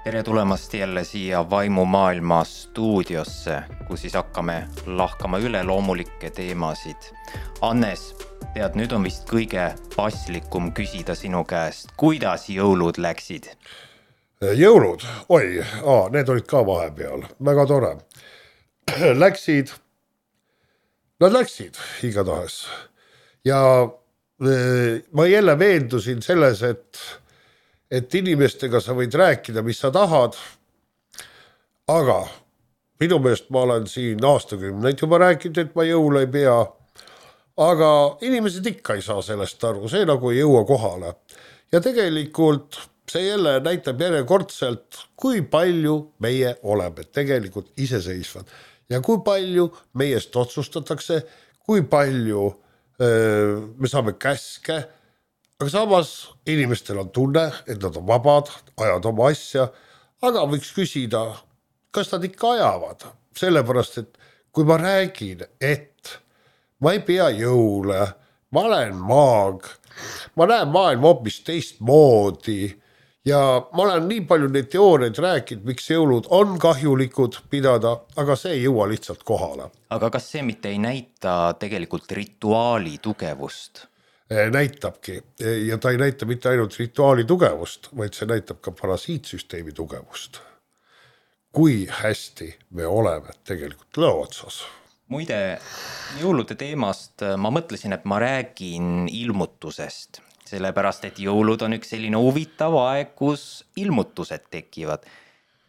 Tere tulemast jälle siia Vaimumaailma stuudiosse, kus siis hakkame lahkama üleloomulikke teemasid. Annes, tead, nüüd on vist kõige paslikum küsida sinu käest, kuidas jõulud läksid? Jõulud? Need olid ka vahepeal. Väga tore. Nad läksid igatahes. Ja ma jälle veendusin selles, et inimestega sa võid rääkida, mis sa tahad, aga minu meelest ma olen siin aastakümneid juba rääkinud, et ma jõule ei pea, aga inimesed ikka ei saa sellest aru, see nagu ei jõua kohale. Ja tegelikult see jälle näitab järjekordselt, kui palju meie oleme tegelikult iseseisvad ja kui palju meiest otsustatakse, kui palju me saame käske. Aga samas inimestel on tunne, et nad on vabad, ajavad oma asja, aga võiks küsida, kas nad ikka ajavad. Sellepärast, et kui ma räägin, et ma ei pea jõule, ma olen maag, ma näen maailma hoopis teistmoodi ja ma olen nii palju neid teooriaid rääkinud, miks jõulud on kahjulikud pidada, aga see ei jõua lihtsalt kohale. Aga kas see mitte ei näita tegelikult rituaali tugevust? Näitabki ja ta ei näita mitte ainult rituaali tugevust, vaid see näitab ka parasiitsüsteemi tugevust. Kui hästi me oleme tegelikult lõo otsas. Muide, jõulude teemast ma mõtlesin, et ma räägin ilmutusest, sellepärast, et jõulud on üks selline huvitav aeg, kus ilmutused tekivad.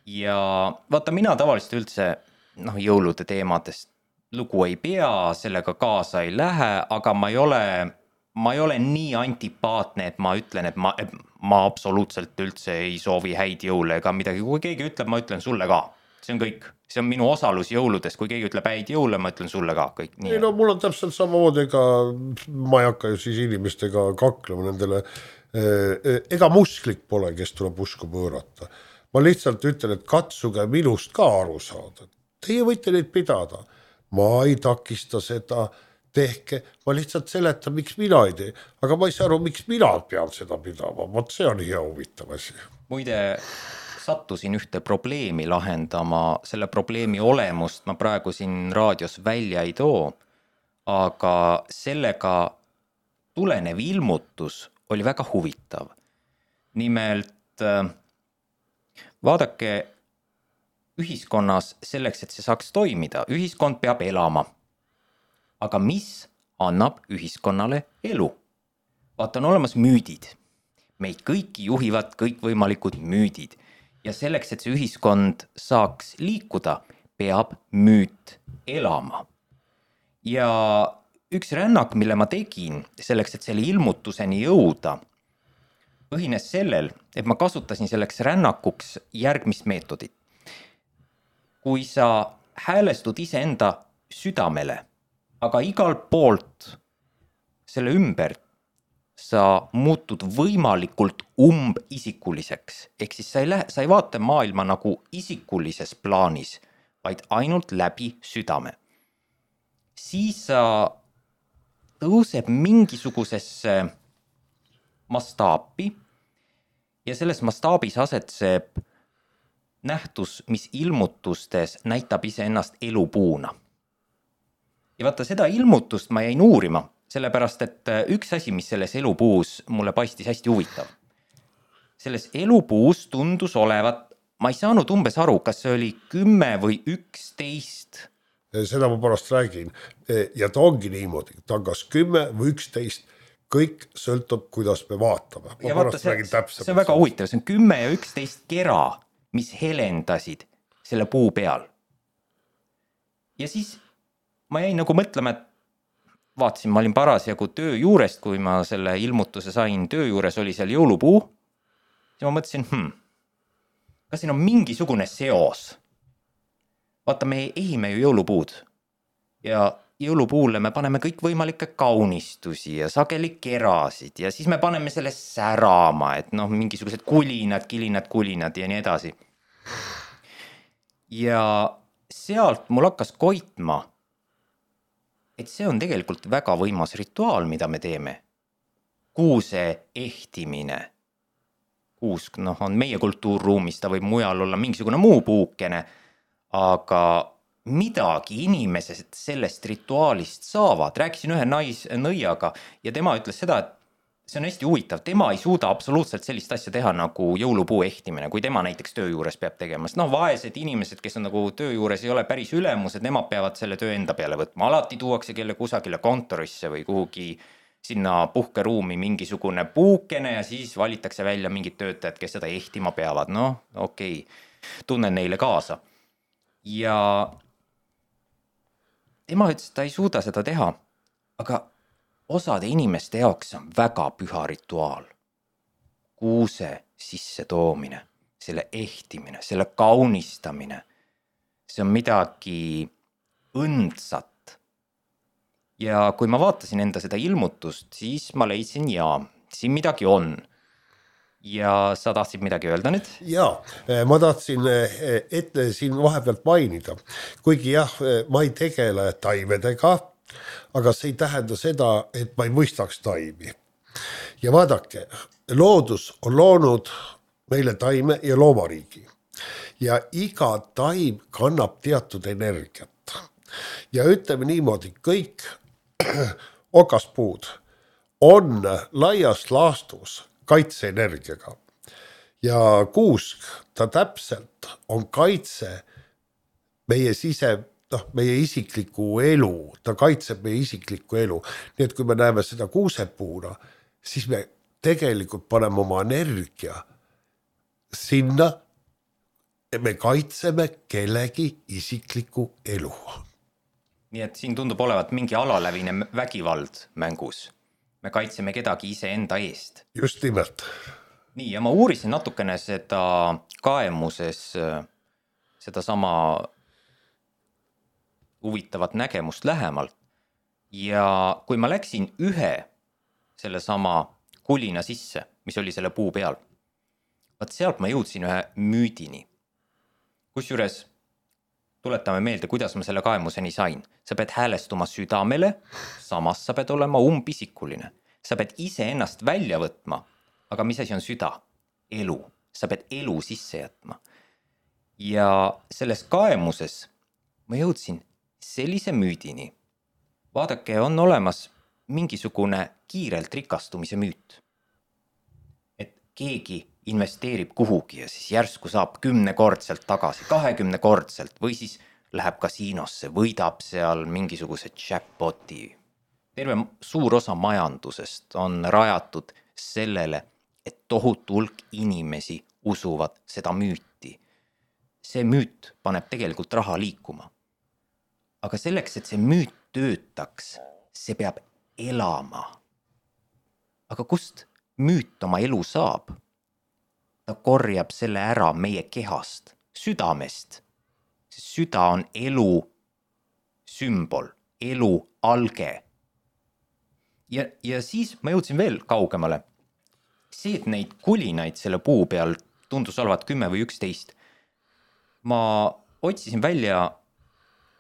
Ja vaata, mina tavaliselt üldse jõulude teemadest lugu ei pea, sellega kaasa ei lähe, aga ma ei ole nii antipaatne, et ma ütlen, et ma absoluutselt üldse ei soovi häid jõule ega midagi. Kui keegi ütleb, ma ütlen sulle ka. See on kõik. See on minu osalus jõuludes. Kui keegi ütleb häid jõule, ma ütlen sulle ka kõik. Nii. Ei, mul on täpselt samamoodi, ma ei hakka ju siis inimestega kaklema nendele. Ega musklik pole, kes tuleb usku pöörata. Ma lihtsalt ütlen, et katsuge minust ka aru saada. Teie võite neid pidada. Ma ei takista seda tehke, ma lihtsalt seletan, miks mina ei tee, aga ma ei saa aru, miks mina pean seda pidama, vot see on hea huvitav asi. Muide, sattusin ühte probleemi lahendama, selle probleemi olemust ma praegu siin raadios välja ei too, aga sellega tulenev ilmutus oli väga huvitav. Nimelt, vaadake, ühiskonnas selleks, et see saaks toimida, ühiskond peab elama. Aga mis annab ühiskonnale elu? Vaata, on olemas müüdid. Meid kõiki juhivad kõikvõimalikud müüdid. Ja selleks, et see ühiskond saaks liikuda, peab müüt elama. Ja üks rännak, mille ma tegin selleks, et selle ilmutuseni jõuda, põhines sellel, et ma kasutasin selleks rännakuks järgmist meetodit. Kui sa häälestud iseenda südamele, aga igal poolt selle ümber sa muutud võimalikult umbisikuliseks. Ehk siis sa ei vaata maailma nagu isikulises plaanis, vaid ainult läbi südame. Siis sa tõuseb mingisugusesse mastaapi ja selles mastaabis asetseb nähtus, mis ilmutustes näitab iseennast elupuuna. Ja vaata, seda ilmutust ma jäin uurima, sellepärast, et üks asi, mis selles elupuus mulle paistis hästi huvitav. Selles elupuus tundus olevat, ma ei saanud umbes aru, kas see oli 10 või 11. Seda ma pärast räägin. Ja ta ongi niimoodi, ta on kas 10 või 11, kõik sõltub, kuidas me vaatame. Ja vaata, see on väga huvitav, see on 10 ja 11 kera, mis helendasid selle puu peal. Ja siis ma jäin nagu mõtlema, et vaatasin, ma olin parasjagu töö juurest, kui ma selle ilmutuse sain, töö juures oli seal jõulupuu. Ja ma mõtlesin, kas siin on mingisugune seos? Vaata, me ehime ju jõulupuud. Ja jõulupuule me paneme kõik võimalikke kaunistusi ja sageli kerasid ja siis me paneme selle särama, et mingisugused kulinad, kulinad ja nii edasi. Ja sealt mul hakkas koitma, et see on tegelikult väga võimas rituaal, mida me teeme. Kuuse ehtimine. kuusk, on meie kultuurruumis, ta võib mujal olla mingisugune muu puukene, aga midagi inimesed sellest rituaalist saavad. Rääkisin ühe nõiaga ja tema ütles seda, et see on hästi huvitav, tema ei suuda absoluutselt sellist asja teha nagu jõulupuu ehtimine, kui tema näiteks töö juures peab tegema. Sest vaesed inimesed, kes on nagu töö juures, ei ole päris ülemused, nemad peavad selle töö enda peale võtma. Alati tuuakse kelle kusagile kontorisse või kuhugi sinna puhkeruumi mingisugune puukene ja siis valitakse välja mingid töötajad, kes seda ehtima peavad. Okei, tunnen neile kaasa. Ja tema ütles, et ta ei suuda seda teha, aga osade inimeste jaoks on väga püha rituaal. Kuuse sisse toomine, selle ehtimine, selle kaunistamine. See on midagi õndsat. Ja kui ma vaatasin enda seda ilmutust, siis ma leidsin siin midagi on. Ja sa tahtsid midagi öelda nüüd? Jaa, ma tahtsin siin vahepealt mainida. Kuigi ma ei tegele taimedega, aga see ei tähenda seda, et ma ei mõistaks taimi. Ja vaadake, loodus on loonud meile taime ja loomariigi. Ja iga taim kannab teatud energiat. Ja ütleme niimoodi, kõik okaspuud on laias laastus kaitseenergiaga. Ja kuusk, ta täpselt on kaitse meie meie isikliku elu, ta kaitseb meie isiklikku elu. Nii et kui me näeme seda kuusepuuna, siis me tegelikult paneme oma energia sinna, et me kaitseme kellegi isiklikku elu. Nii et siin tundub olevat mingi alalävine vägivald mängus. Me kaitseme kedagi ise enda eest. Just nimelt. Nii, ja ma uurisin natukene seda kaemuses, seda sama huvitavat nägemust lähemalt. Ja kui ma läksin ühe selle sama kulina sisse, mis oli selle puu peal, vaat sealt ma jõudsin ühe müüdini. Kusjuures tuletame meelde, kuidas ma selle kaemuseni sain. Sa pead häälestuma südamele, samas sa pead olema umpisikuline. Sa pead ise ennast välja võtma, aga mis asi on süda? Elu. Sa pead elu sisse jätma. Ja selles kaemuses ma jõudsin sellise müüdini. Vaadake, on olemas mingisugune kiirelt rikastumise müüt. Et keegi investeerib kuhugi ja siis järsku saab 10-kordselt tagasi, 20-kordselt või siis läheb kasiinosse, võidab seal mingisuguse jackpoti. Terve suur osa majandusest on rajatud sellele, et tohutu hulk inimesi usuvad seda müüti. See müüt paneb tegelikult raha liikuma. Aga selleks, et see müüt töötaks, see peab elama. Aga kust müüt oma elu saab? Ta korjab selle ära meie kehast, südamest. See süda on elu sümbol, elu alge. Ja siis ma jõudsin veel kaugemale. See, et neid kulinaid selle puu peal tundus olevat 10 või 11. Ma otsisin välja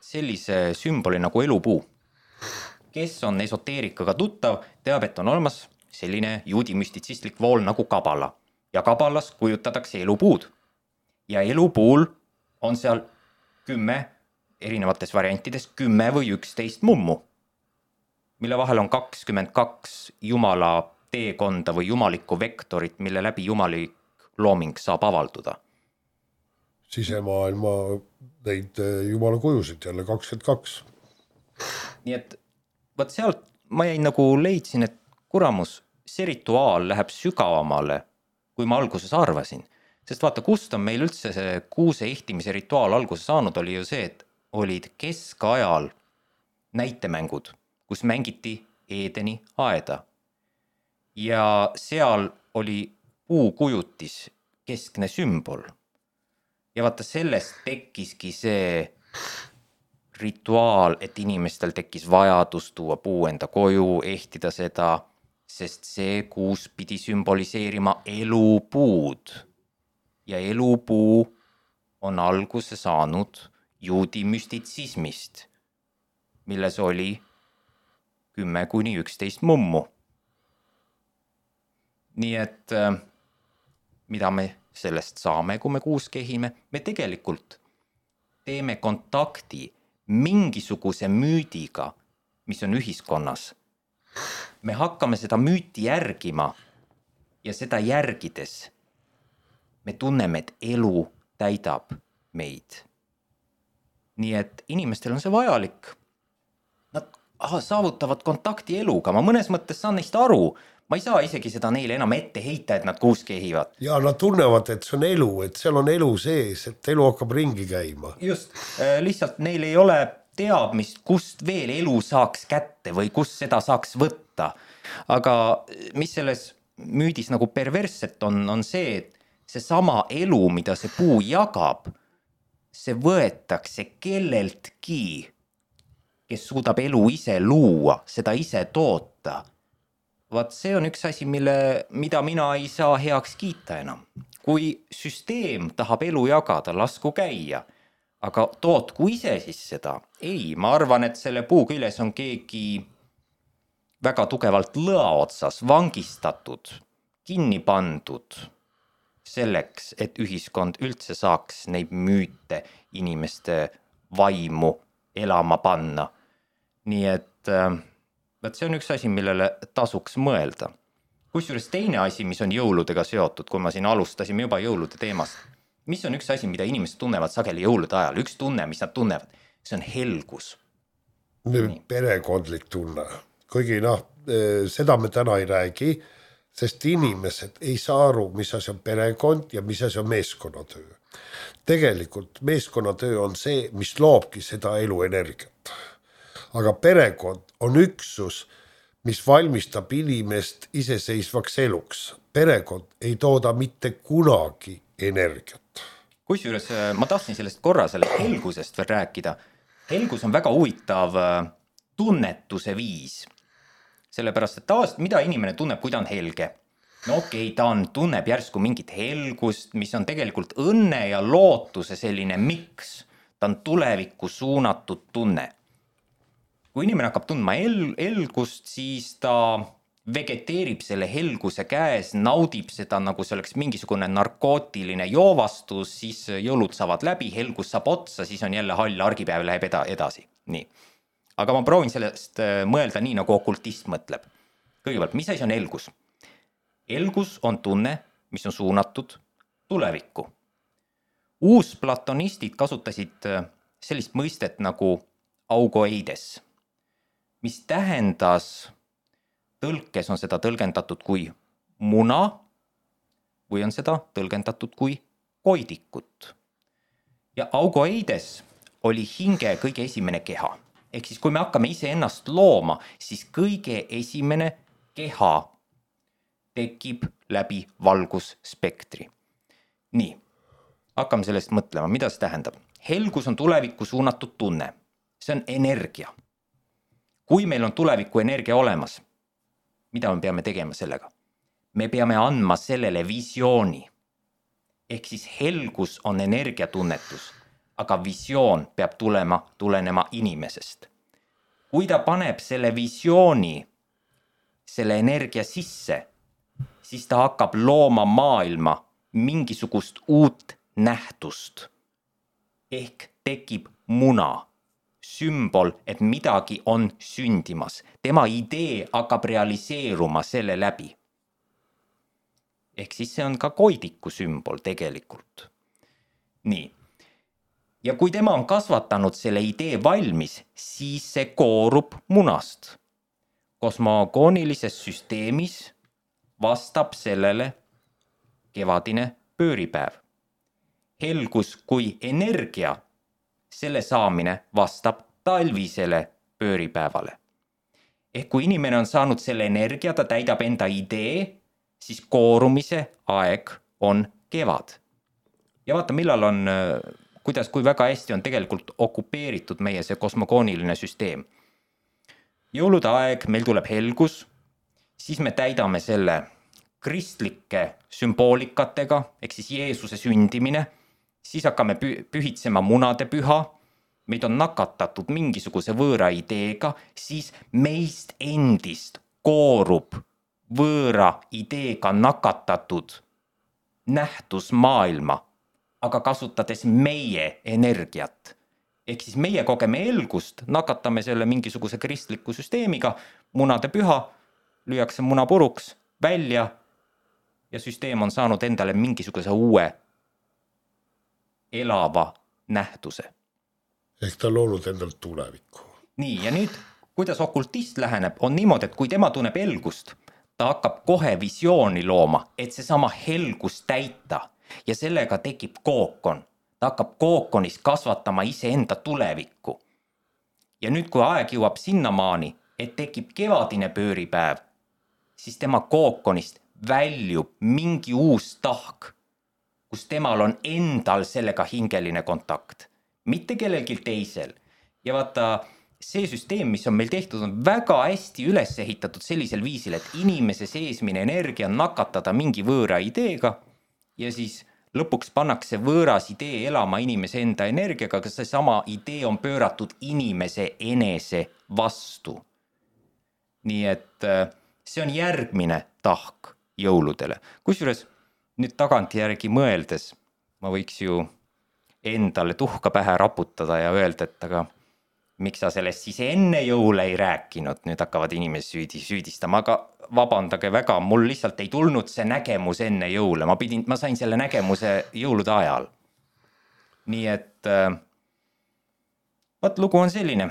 sellise sümboli nagu elupuu. Kes on esoteerikaga tuttav, teab, et on olemas selline juudi müstitsistlik vool nagu kabala. Ja kabalas kujutatakse elupuud. Ja elupuul on seal 10 erinevates variantides 10 või 11 mummu, mille vahel on 22 jumala teekonda või jumalikku vektorit, mille läbi jumalik looming saab avalduda. Sisemaailma neid jumala kujusid jälle 22. Nii et võt sealt ma jäin nagu leidsin, et kuramus, see rituaal läheb sügavamale, kui ma alguses arvasin. Sest vaata, kust on meil üldse see kuuse ehtimise rituaal alguse saanud, oli ju see, et olid keskajal näitemängud, kus mängiti Eedeni aeda. Ja seal oli puukujutis keskne sümbol. Ja vaata, sellest tekkiski see rituaal, et inimestel tekkis vajadus tuua puu enda koju, ehtida seda, sest see kuus pidi sümboliseerima elupuud. Ja elupuu on alguse saanud juudi müstitsismist, milles oli 10-11 mummu. Nii et mida me sellest saame, kui me koos kehime, me tegelikult teeme kontakti mingisuguse müüdiga, mis on ühiskonnas. Me hakkame seda müüti järgima ja seda järgides me tunneme, et elu täidab meid. Nii et inimestel on see vajalik. Nad saavutavad kontakti eluga, ma mõnes mõttes saan neist aru. Ma ei saa isegi seda neile enam ette heita, et nad koos kehivad. Ja nad tunnevad, et see on elu, et seal on elu sees, et elu hakkab ringi käima. Just, lihtsalt neil ei ole teadmist, kust veel elu saaks kätte või kust seda saaks võtta. Aga mis selles müüdis nagu perversset on see, et see sama elu, mida see puu jagab, see võetakse kelleltki, kes suudab elu ise luua, seda ise toota. Vaat see on üks asi, mida mina ei saa heaks kiita enam. Kui süsteem tahab elu jagada, lasku käia, aga tootku ise siis seda. Ei, ma arvan, et selle puu küljes on keegi väga tugevalt lõa otsas, vangistatud, kinni pandud selleks, et ühiskond üldse saaks neid müüte inimeste vaimu elama panna. Nii et see on üks asi, millele tasuks mõelda. Kusjuures teine asi, mis on jõuludega seotud, kui ma siin alustasime juba jõulude teemast, mis on üks asi, mida inimesed tunnevad sageli jõulude ajal, üks tunne, mis nad tunnevad, see on helgus. Perekondlik tunne. Kuigi seda me täna ei räägi, sest inimesed ei saa aru, mis asi on perekond ja mis asi on meeskonnatöö. Tegelikult meeskonnatöö on see, mis loobki seda eluenergiat. Aga perekond on üksus, mis valmistab inimest iseseisvaks eluks. Perekond ei tooda mitte kunagi energiat. Kusjuures ma tahtsin sellest korra sellest helgusest veel rääkida. Helgus on väga huvitav tunnetuse viis. Sellepärast, et tavaliselt mida inimene tunneb, kui ta on helge? No okei, ta tunneb järsku mingit helgust, mis on tegelikult õnne ja lootuse selline miks. Ta on tulevikku suunatud tunne. Kui inimene hakkab tundma helgust, siis ta vegeteerib selle helguse käes, naudib seda nagu see oleks mingisugune narkootiline joovastus, siis jõulud saavad läbi, helgus saab otsa, siis on jälle hall argipäev läheb edasi. Nii. Aga ma proovin sellest mõelda nii, nagu okultist mõtleb. Kõigepealt, mis asi on helgus? Helgus on tunne, mis on suunatud tulevikku. Uusplatonistid kasutasid sellist mõistet nagu augoeides, mis tähendas, tõlkes on seda tõlgendatud kui muna või on seda tõlgendatud kui koidikut. Ja augoeides oli hinge kõige esimene keha. Ehk siis kui me hakkame ise ennast looma, siis kõige esimene keha tekib läbi valgusspektri. Nii, hakkame sellest mõtlema, mida see tähendab. Helgus on tulevikku suunatud tunne. See on energia. Kui meil on tuleviku energia olemas, mida me peame tegema sellega? Me peame andma sellele visiooni. Ehk siis helgus on energiatunnetus, aga visioon peab tulenema inimesest. Kui ta paneb selle visiooni, selle energia sisse, siis ta hakkab looma maailma mingisugust uut nähtust. Ehk tekib muna, sümbol, et midagi on sündimas. Tema idee hakkab realiseeruma selle läbi. Ehk siis see on ka koidiku sümbol tegelikult. Nii. Ja kui tema on kasvatanud selle idee valmis, siis see koorub munast. Kosmogoonilises süsteemis vastab sellele kevadine pööripäev. Helgus kui energia, selle saamine vastab talvisele pööripäevale. Ehk kui inimene on saanud selle energia, ta täidab enda idee, siis koorumise aeg on kevad. Ja vaata, millal on, kui väga hästi on tegelikult okupeeritud meie see kosmogooniline süsteem. Jõulude aeg, meil tuleb helgus, siis me täidame selle kristlike sümboolikatega, ehk siis Jeesuse sündimine, siis hakkame pühitsema munade püha, meid on nakatatud mingisuguse võõra ideega, siis meist endist koorub võõra ideega nakatatud nähtusmaailma, aga kasutades meie energiat. Ehk siis meie kogeme elgust, nakatame selle mingisuguse kristliku süsteemiga, munade püha, lüüakse muna puruks välja ja süsteem on saanud endale mingisuguse uue elava nähtuse. Ehk ta on loonud endale tulevikku. Nii, ja nüüd, kuidas okultist läheneb, on niimoodi, et kui tema tunneb helgust, ta hakkab kohe visiooni looma, et seesama helgus täita ja sellega tekib kookon. Ta hakkab kookonis kasvatama iseenda tulevikku. Ja nüüd, kui aeg jõuab sinnamaani, et tekib kevadine pööripäev, siis tema kookonist väljub mingi uus tahk, kus temal on endal sellega hingeline kontakt, mitte kellelgi teisel. Ja vaata, see süsteem, mis on meil tehtud, on väga hästi üles ehitatud sellisel viisil, et inimese seesmine energia nakatada mingi võõra ideega ja siis lõpuks pannakse võõras idee elama inimese enda energiaga, aga see sama idee on pööratud inimese enese vastu. Nii et see on järgmine tahk jõuludele. Kusjuures nüüd tagantjärgi mõeldes ma võiks ju endale tuhka pähe raputada ja öelda, et aga miks sa sellest siis enne jõule ei rääkinud, nüüd hakkavad inimesi süüdistama, aga vabandage väga, mul lihtsalt ei tulnud see nägemus enne jõule, ma sain selle nägemuse jõulude ajal. Nii et lugu on selline.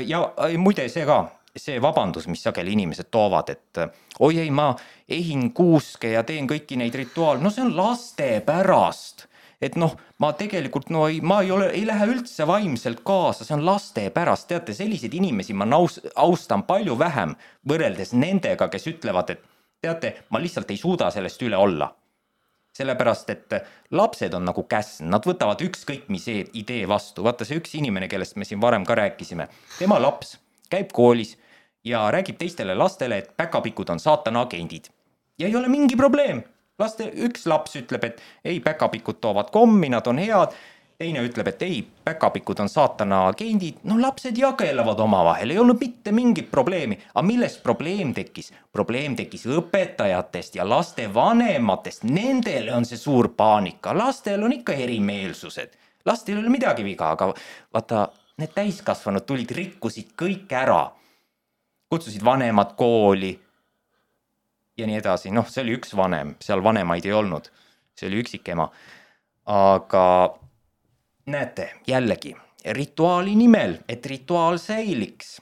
Ja muide see ka, see vabandus, mis sageli inimesed toovad, et oi ei, ma ehin kuuske ja teen kõiki neid rituaal, no see on laste pärast. Et ma tegelikult ma ei lähe üldse vaimselt kaasa, see on laste pärast. Teate, selliseid inimesi ma austan palju vähem võrreldes nendega, kes ütlevad, et teate, ma lihtsalt ei suuda sellest üle olla. Sellepärast, et lapsed on nagu käsn, nad võtavad ükskõik mis idee vastu. Vaata see üks inimene, kellest me siin varem ka rääkisime, tema laps käib koolis ja räägib teistele lastele, et päkapikud on saatana agendid. Ja ei ole mingi probleem. Üks laps ütleb, et ei, päkapikud toovad kommi, nad on head. Teine ütleb, et ei, päkapikud on saatana agendid. Lapsed jagelevad omavahel, ei olnud mitte mingit probleemi. Aga millest probleem tekkis? Probleem tekkis õpetajatest ja laste vanematest. Nendele on see suur paanika. Lastel on ikka erimeelsused. Lastel ei ole midagi viga, aga vaata, need täiskasvanud tulid, rikkusid kõik ära. Kutsusid vanemad kooli. Ja nii edasi, see oli üks vanem, seal vanemaid ei olnud, see oli üksik ema. Aga näete, jällegi, rituaali nimel, et rituaal säiliks,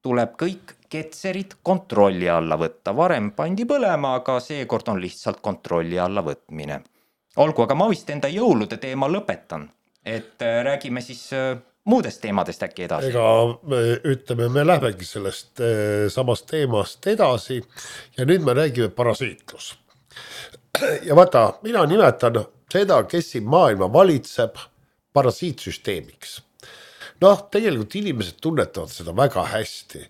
tuleb kõik ketserid kontrolli alla võtta. Varem pandi põlema, aga seekord on lihtsalt kontrolli alla võtmine. Olgu, aga ma vist enda jõulude teema lõpetan, et räägime siis muudest teemadest äkki edasi. Ega me lähemegi sellest samast teemast edasi ja nüüd me räägime parasiitlus. Ja vaata, mina nimetan seda, kes siin maailma valitseb, parasiitsüsteemiks. Tegelikult inimesed tunnetavad seda väga hästi,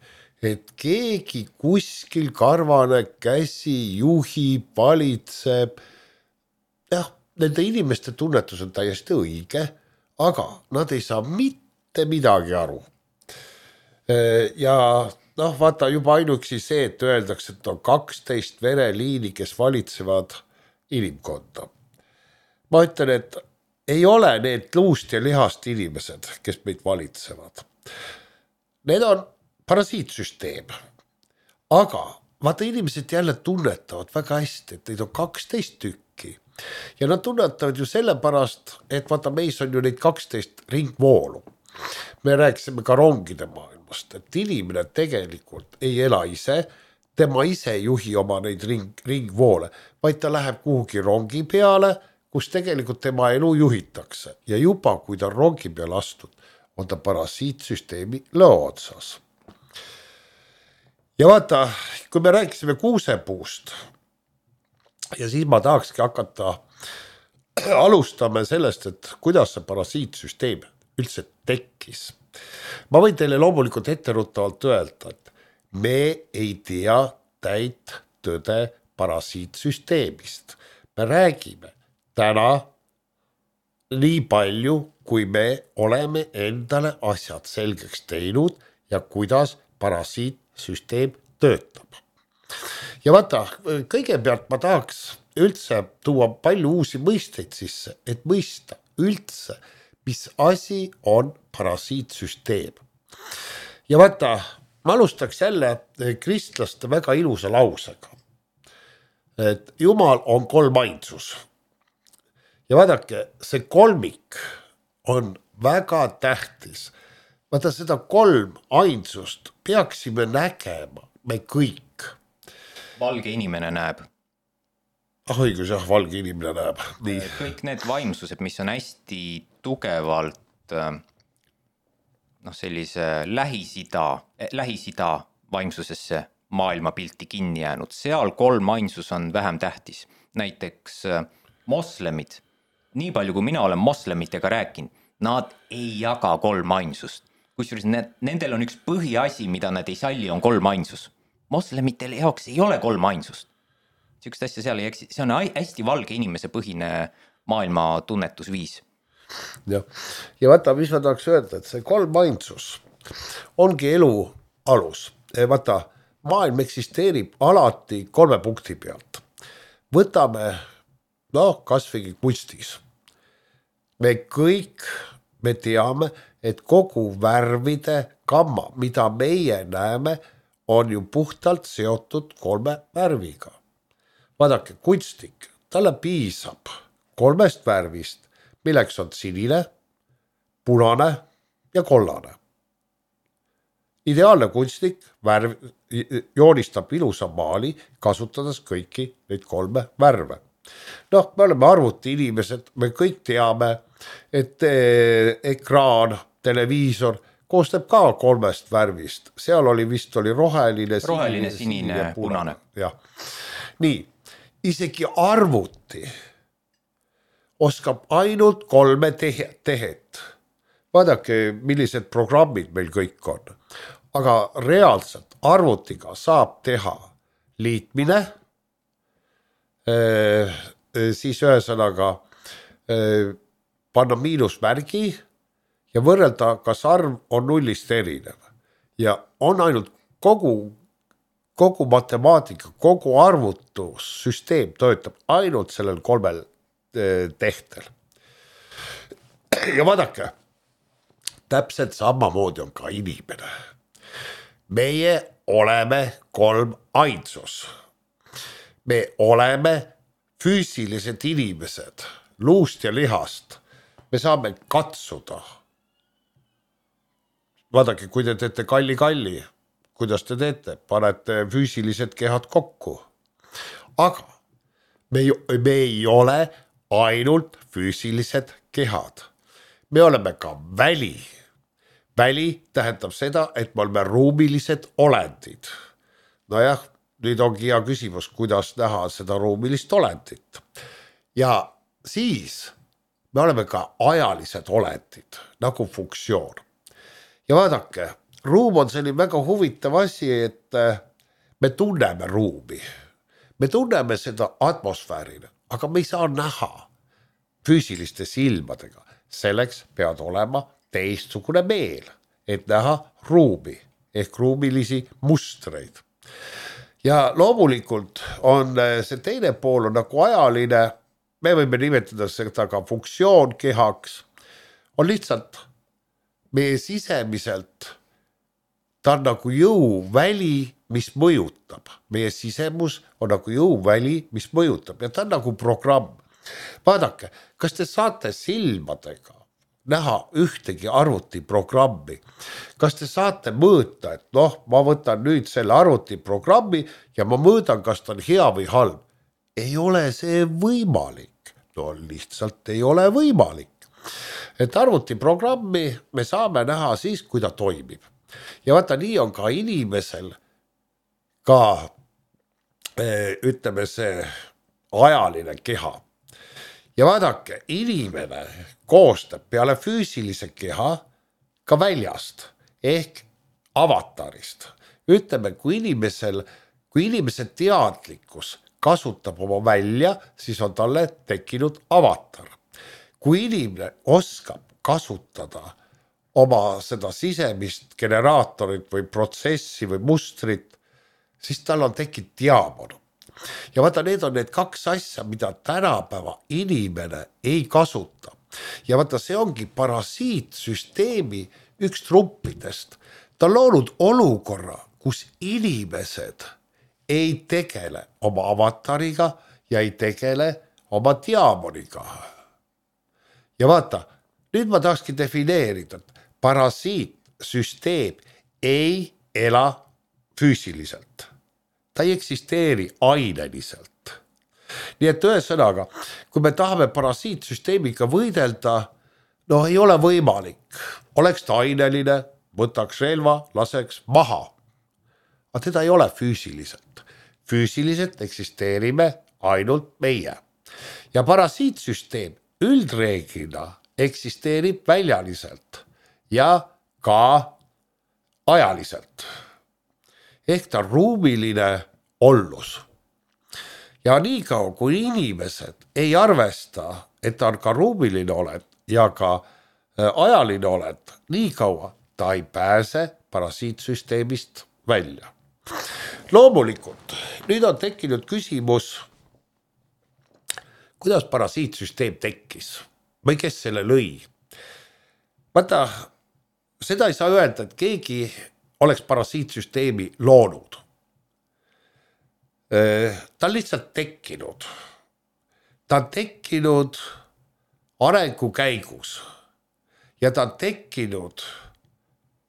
et keegi kuskil karvane käsi juhib, valitseb. Nende inimeste tunnetus on täiesti õige, aga nad ei saa mitte midagi aru. Ja vaata juba ainuksi see, et öeldakse, et on 12 vereliini, kes valitsevad inimkonda. Ma ütlen, et ei ole need luust ja lihast inimesed, kes meid valitsevad. Need on parasiitsüsteem. Aga vaata, inimesed jälle tunnetavad väga hästi, et neid on 12 tükki. Ja nad tunnetavad ju sellepärast, et vaata, meis on ju neid 12 ringvoolu. Me rääkisime ka rongide maailmast, et inimene tegelikult ei ela ise, tema ise juhi oma neid ringvoole, vaid ta läheb kuhugi rongi peale, kus tegelikult tema elu juhitakse. Ja juba, kui ta rongi peale astud, on ta parasiitsüsteemi lõo otsas. Ja vaata, kui me rääkisime kuusepuust, ja siis ma tahakski hakata alustama sellest, et kuidas see parasiitsüsteem üldse tekkis. Ma võin teile loomulikult etteruttavalt öelda, et me ei tea täit tõde parasiitsüsteemist. Me räägime täna nii palju, kui me oleme endale asjad selgeks teinud ja kuidas parasiitsüsteem töötab. Ja vaata, kõigepealt ma tahaks üldse tuua palju uusi mõisteid sisse, et mõista üldse, mis asi on parasiitsüsteem. Ja vaata, ma alustaks jälle kristlaste väga ilusa lausega, et Jumal on kolmainsus. Ja vaadake, see kolmik on väga tähtis. Vaata, seda kolmainsust peaksime nägema me kõik. Valge inimene näeb. Õigus, jah, valge inimene näeb. Nii. Kõik need vaimsused, mis on hästi tugevalt sellise Lähis-Ida vaimsusesse maailmapilti kinni jäänud. Seal kolmainsus on vähem tähtis. Näiteks moslemid, nii palju kui mina olen moslemitega rääkinud, nad ei jaga kolmainsust. Kusjuures nendel on üks põhiasi, mida nad ei salli, on kolmainsus. Moslemitel jaoks ei ole kolmainsust. Sihukest asja seal ei eksi. See on hästi valge inimese põhine maailma tunnetusviis. Ja vaata, mis ma tahaks öelda, et see kolmainsus ongi elu alus. Vaata, maailm eksisteerib alati 3 punkti pealt. Võtame, kasvõi kunstis. Me teame, et kogu värvide gamma, mida meie näeme, on ju puhtalt seotud 3 värviga. Vaadake, kunstik, talle piisab 3 värvist, milleks on sinine, punane ja kollane. Ideaalne kunstnik joonistab ilusa maali, kasutades kõiki neid 3 värve. Me oleme arvuti inimesed, me kõik teame, et ekraan, televiisor koostab ka 3 värvist. Seal vist oli roheline, sinine ja punane. Ja. Nii, isegi arvuti oskab ainult 3 tehet. Vaadake, millised programmid meil kõik on. Aga reaalselt arvutiga saab teha liitmine, siis ühesõnaga panna miinusmärgi ja võrrelda, kas arv on 0-st erinev. Ja on ainult kogu matemaatika, kogu arvutussüsteem töötab ainult sellel 3 tehtel. Ja vaadake, täpselt samamoodi on ka inimene. Meie oleme 3 ainsus. Me oleme füüsilised inimesed, luust ja lihast. Me saame katsuda. Vaadake, kui te teete kalli, kuidas te teete? Panete füüsilised kehad kokku. Aga me ei ole ainult füüsilised kehad. Me oleme ka väli. Väli tähendab seda, et me oleme ruumilised olendid. Nojah, nüüd ongi hea küsimus, kuidas näha seda ruumilist olendit. Ja siis me oleme ka ajalised olendid, nagu funktsioon. Ja vaadake, ruum on selline väga huvitav asi, et me tunneme ruumi. Me tunneme seda atmosfäärina, aga me ei saa näha füüsiliste silmadega. Selleks pead olema teistsugune meel, et näha ruumi ehk ruumilisi mustreid. Ja loomulikult on see teine pool on nagu ajaline, me võime nimetada seda ka funktsioon kehaks, on lihtsalt meie sisemiselt, ta on nagu jõuväli, mis mõjutab. Meie sisemus on nagu jõuväli, mis mõjutab ja ta on nagu programm. Vaadake, kas te saate silmadega näha ühtegi arvutiprogrammi? Kas te saate mõõta, et ma võtan nüüd selle arvutiprogrammi ja ma mõõdan, kas ta on hea või halb? Ei ole see võimalik. Lihtsalt ei ole võimalik. Et arvutiprogrammi me saame näha siis, kui ta toimib. Ja vaata, nii on ka inimesel ka, ütleme see ajaline keha. Ja vaadake, inimene koostab peale füüsilise keha ka väljast ehk avatarist. Ütleme, kui inimese teadlikkus kasutab oma välja, siis on talle tekkinud avatar. Kui inimene oskab kasutada oma seda sisemist generaatorit või protsessi või mustrit, siis tal on tekkinud diaamon. ja vaata, need on need kaks asja, mida tänapäeva inimene ei kasuta. Ja vaata, see ongi parasiitsüsteemi üks truppidest. Ta on loonud olukorra, kus inimesed ei tegele oma avatariga ja ei tegele oma diamoniga. Ja vaata, nüüd ma tahakski defineerida, et parasiitsüsteem ei ela füüsiliselt. Ta ei eksisteeri aineliselt. Nii et ühesõnaga, kui me tahame parasiitsüsteemiga võidelda, ei ole võimalik. Oleks ta aineline, võtaks relva, laseks maha. Aga teda ei ole füüsiliselt. Füüsiliselt eksisteerime ainult meie. Ja parasiitsüsteem üldreeglina eksisteerib väljaliselt ja ka ajaliselt. Ehk ta ruumiline ollus. Ja nii kaua, kui inimesed ei arvesta, et ta on ka ruumiline olend ja ka ajaline olend, nii kaua ta ei pääse parasiitsüsteemist välja. Loomulikult, nüüd on tekkinud küsimus, kuidas parasiitsüsteem tekkis või kes selle lõi. Vaata, seda ei saa öelda, et keegi oleks parasiitsüsteemi loonud. Ta on lihtsalt tekkinud. Ta on tekkinud arengu käigus ja ta on tekkinud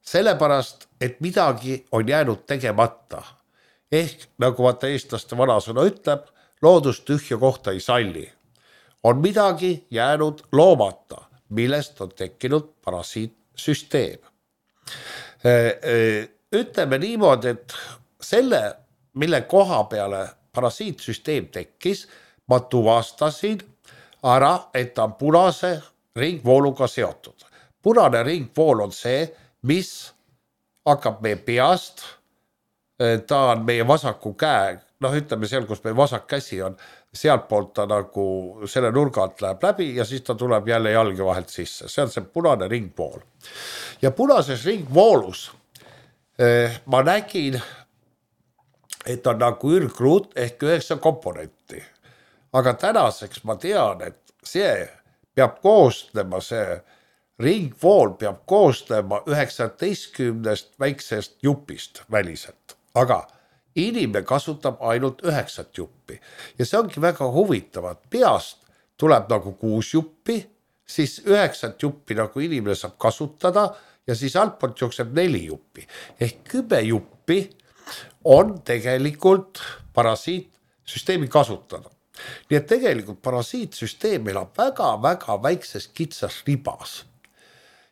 sellepärast, et midagi on jäänud tegemata. Ehk nagu vaata eestlaste vanasõna ütleb, loodus tühja kohta ei salli. On midagi jäänud loomata, millest on tekkinud parasiitsüsteem. Ütleme niimoodi, et selle, mille koha peale parasiitsüsteem tekkis, ma tuvastasin ära, et ta on punase ringvooluga seotud. Punane ringvool on see, mis hakkab meie peast, ta on meie vasaku käe, ütleme seal, kus meie vasak käsi on, sealt poolt ta nagu selle nurga alt läheb läbi ja siis ta tuleb jälle jalge vahelt sisse. See on see punane ringvool. Ja punases ringvoolus ma nägin, et on nagu ürgruut ehk 9 komponenti. Aga tänaseks ma tean, et see peab koosnema, see ringvool peab koosnema 19 väiksest jupist väliselt. Aga inimene kasutab ainult 9 juppi. Ja see ongi väga huvitav, et peast tuleb nagu 6 juppi, siis 9 juppi nagu inimene saab kasutada ja siis altpoolt jookseb 4 juppi. Ehk 10 juppi on tegelikult parasiitsüsteemi kasutada. Nii et tegelikult parasiitsüsteem elab väga-väga väikses kitsas ribas.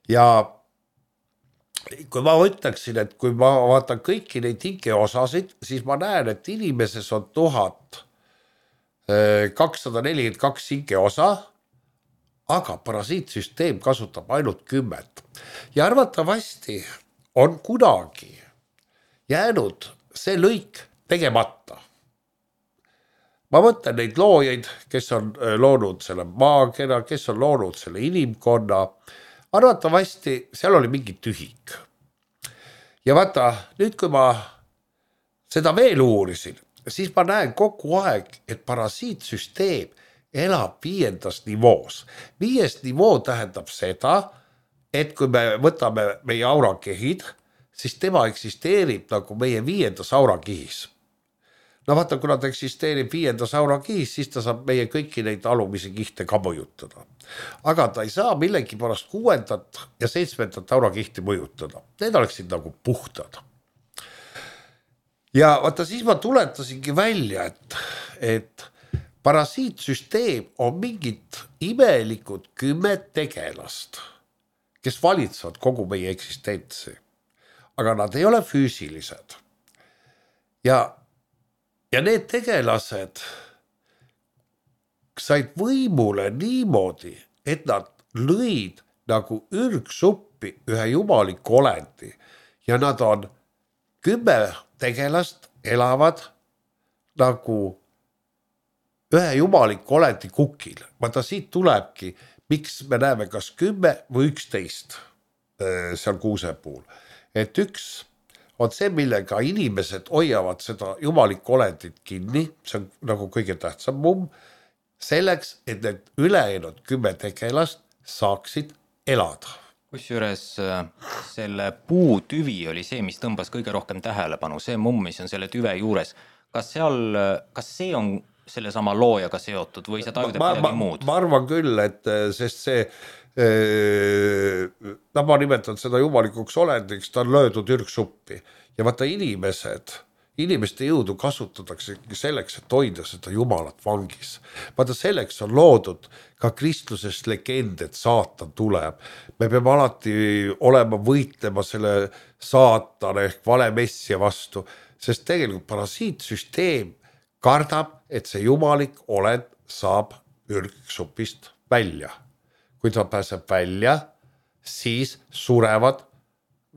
Ja kui ma ütleksin, et kui ma vaatan kõiki neid hingeosasid, siis ma näen, et inimeses on 1242 hingeosa, aga parasiitsüsteem kasutab ainult 10. Ja arvatavasti on kunagi jäänud see lõik tegemata. Ma mõtlen neid loojaid, kes on loonud selle maakera, kes on loonud selle inimkonna. Arvatavasti seal oli mingi tühik. Ja vaata, nüüd kui ma seda veel uurisin, siis ma näen kogu aeg, et parasiitsüsteem elab 5. nivoos. 5. nivoo tähendab seda, et kui me võtame meie aurakehid, siis tema eksisteerib nagu meie 5. aurakihis. Vaata, kuna ta eksisteerib 5. aurakihis, siis ta saab meie kõiki neid alumisi kihte ka mõjutada. Aga ta ei saa millegi pärast 6. ja 7. aurakihti mõjutada. Need oleksid nagu puhtad. Ja vaata, siis ma tuletasingi välja, et parasiitsüsteem on mingid imelikud 10 tegelast, kes valitsevad kogu meie eksistentsi. Aga nad ei ole füüsilised. Ja need tegelased said võimule niimoodi, et nad lõid nagu ürgsuppi ühe jumaliku olendi. Ja nad on 10 tegelast elavad nagu ühe jumaliku olendi kukil. Vaata, siit tulebki, miks me näeme kas 10 või 11 seal kuuse puhul. Et üks on see, millega inimesed hoiavad seda jumalikku olendit kinni, see on nagu kõige tähtsam mumm, selleks, et need ülejäänud 10 tegelast saaksid elada. Kusjuures selle puutüvi oli see, mis tõmbas kõige rohkem tähelepanu, see mumm, mis on selle tüve juures. Kas see on selle sama loojaga seotud või sa tajud midagi muud? Ma arvan küll, et sest see, ma nimetan seda jumalikuks olendiks, ta on löödud ürgsuppi ja vaata inimeste jõudu kasutatakse selleks, et hoida seda jumalat vangis. Vaata selleks on loodud ka kristlusest legend, et saatan tuleb. Me peame alati olema võitlema selle saatana ehk vale messia vastu, sest tegelikult parasiitsüsteem kardab, et see jumalik olend saab ürgsupist välja. Kui ta pääseb välja, siis surevad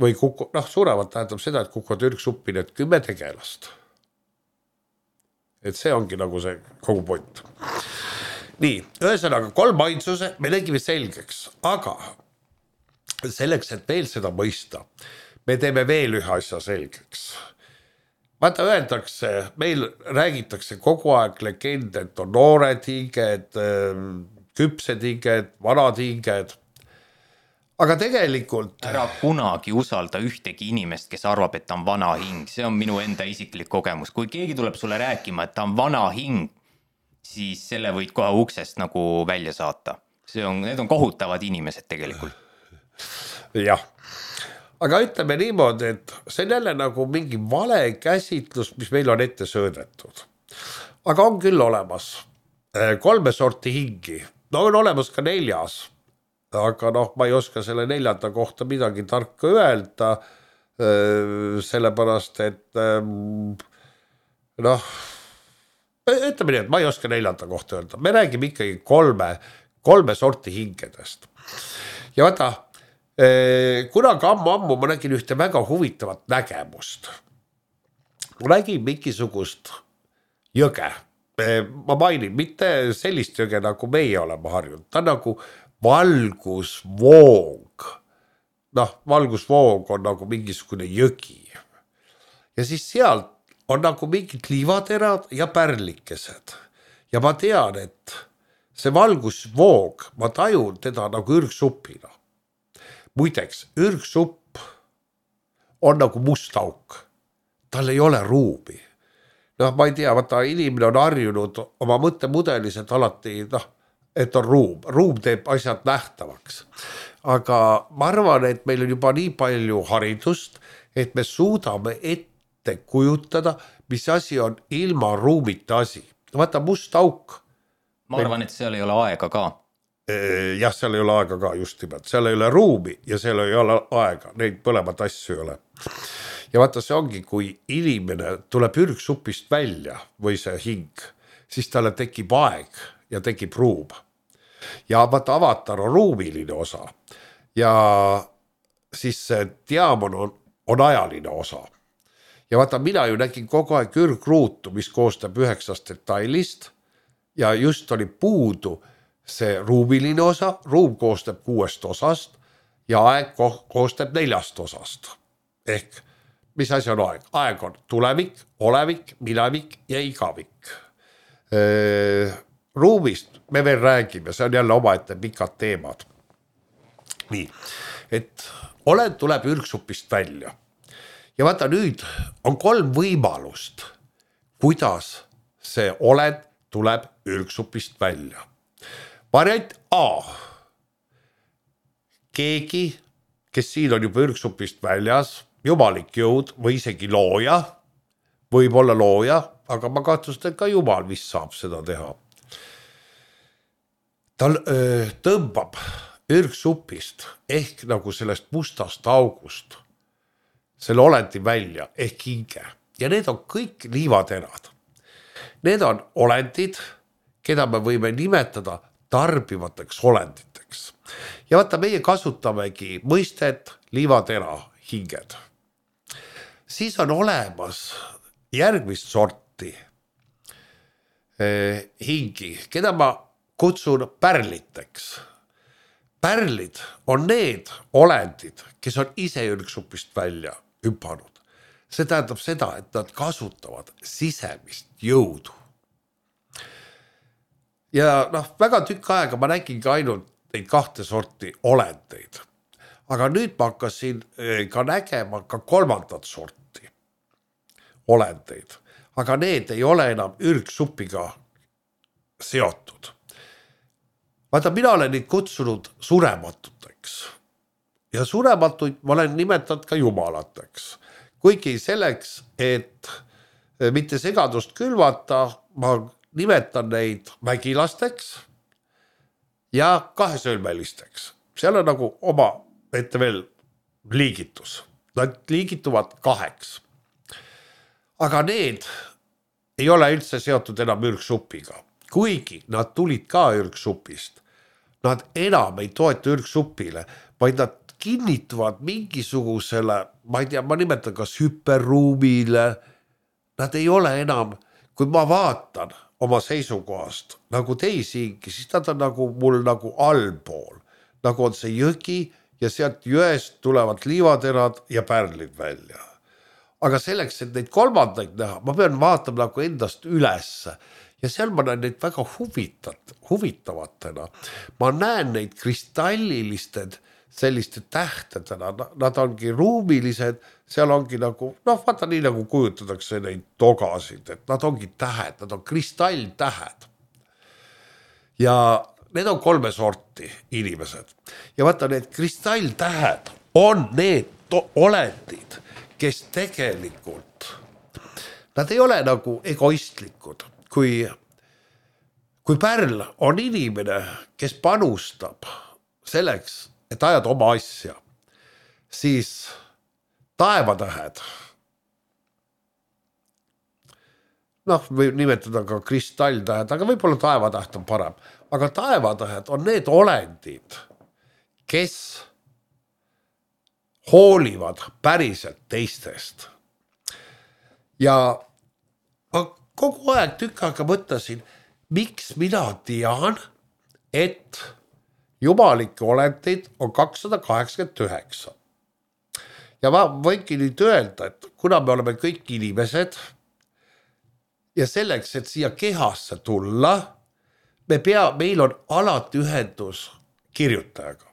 või surevad tähendab seda, et kukuvad ürgsuppi need 10 tegelast. Et see ongi nagu see kogu point. Nii, ühesõnaga 3 ainsuse me tegime selgeks, aga selleks, et veel seda mõista, me teeme veel ühe asja selgeks. Vaata öeldakse, meil räägitakse kogu aeg legende, et on noored hinged, küpsed hinged, vanad hinged. Aga tegelikult ära kunagi usalda ühtegi inimest, kes arvab, et ta on vana hing. See on minu enda isiklik kogemus. Kui keegi tuleb sulle rääkima, et ta on vana hing, siis selle võid kohe uksest nagu välja saata. Need on kohutavad inimesed tegelikult. Jah. Aga ütleme niimoodi, et see on jälle nagu mingi vale käsitlus, mis meil on ette söödetud. Aga on küll olemas 3 sorti hingi. No on olemas ka 4. Aga ma ei oska selle 4. kohta midagi tarka öelda, sellepärast, et ütleme nii, et ma ei oska 4. kohta öelda. Me räägime ikkagi 3 sorti hingedest. Ja vaata, kunagi ammu ma nägin ühte väga huvitavat nägemust. Ma nägin mingisugust jõge. Ma mainin, mitte sellist jõge, nagu meie oleme harjunud. Ta on nagu valgusvoog. Valgusvoog on nagu mingisugune jõgi. Ja siis sealt on nagu mingid liivaterad ja pärlikesed. Ja ma tean, et see valgusvoog, ma tajun teda nagu ürgsupina. Muideks, ürgsupp on nagu must auk. Tal ei ole ruumi. Ma ei tea, vaata inimene on harjunud oma mõttemudelis, et alati, et on ruum. Ruum teeb asjad nähtavaks. Aga ma arvan, et meil on juba nii palju haridust, et me suudame ette kujutada, mis asi on ilma ruumita asi. Vaata must auk. Ma arvan, et seal ei ole aega ka. Jah, seal ei ole aega ka just nimelt. Seal ei ole ruumi ja seal ei ole aega. Neid põlemat asju ei ole. Ja vaata, see ongi, kui inimene tuleb ürgsupist välja või see hing, siis talle tekib aeg ja tekib ruum. Ja vaata, avatar on ruumiline osa ja siis see diamon on ajaline osa. Ja vaata, mina ju nägin kogu aeg ürgruutu, mis koostab 9 detailist ja just oli puudu see ruumiline osa, ruum koostab 6 osast ja aeg koostab 4 osast. Ehk mis asi on aeg? Aeg on tulevik, olevik, minevik ja igavik. Ruumist me veel räägime, see on jälle omaette pikad teemad. Nii, et olend tuleb ürgsupist välja. Ja vaata, nüüd on 3 võimalust, kuidas see olend tuleb ürgsupist välja. Variant A. Keegi, kes siin on juba ürgsupist väljas, jumalik jõud või isegi looja, võib olla looja, aga ma kahtlustan, et ka jumal vist saab seda teha. Ta tõmbab ürgsupist ehk nagu sellest mustast august selle olendi välja ehk hinge. Ja need on kõik liivaterad. Need on olendid, keda me võime nimetada tarbivateks olenditeks. Ja vaata, meie kasutamegi mõistet liivatera hinged. Siis on olemas järgmist sorti hingi, keda ma kutsun pärliteks. Pärlid on need olendid, kes on ise ürgsupist välja hüpanud. see tähendab seda, et nad kasutavad sisemist jõudu. Ja noh, väga tükk aega ma nägingi ainult neid kahte sorti olendeid. Aga nüüd ma hakkasin ka nägema ka kolmandat sorti olendeid. Aga need ei ole enam ürgsupiga seotud. Vaata, mina olen neid kutsunud surematuteks. Ja surematuid ma olen nimetanud ka jumalateks. Kuigi selleks, et mitte segadust külvata, ma nimetan neid mägilasteks ja kahesõlmelisteks. Seal on nagu oma ette veel liigitus. Nad liigituvad 2. Aga need ei ole üldse seotud enam ürgsupiga. Kuigi nad tulid ka ürgsupist. Nad enam ei toeta ürgsupile, vaid nad kinnituvad mingisugusele, ma ei tea, ma nimetan kas hüperruumile. Nad ei ole enam, kui ma vaatan oma seisukohast nagu teisiingi, siis nad on nagu mul nagu allpool. Nagu on see jõgi ja sealt jõest tulevad liivaterad ja pärlid välja. Aga selleks, et neid kolmandaid näha, ma pean vaatama nagu endast ülesse. Ja seal ma näen neid väga huvitavatena. Ma näen neid kristallilised selliste tähtedena. Nad ongi ruumilised, seal ongi nagu, noh, vaata nii nagu kujutatakse neid togasid, et nad ongi tähed, nad on kristalltähed. Ja need on 3 sorti inimesed. Ja vaata, need kristalltähed on need olendid, kes tegelikult, nad ei ole nagu egoistlikud. Kui pärl on inimene, kes panustab selleks, et ajada oma asja, siis taevatähed, noh, võib nimetada ka kristalltähed, aga võib-olla taevatäht on parem, aga taevatähed on need olendid, kes hoolivad päriselt teistest. Ja ma kogu aeg tükk aega mõtlesin, miks mina tean, et jumalikke olendeid on 289. Ja ma võingi nüüd öelda, et kuna me oleme kõik inimesed ja selleks, et siia kehasse tulla, meil on alati ühendus kirjutajaga.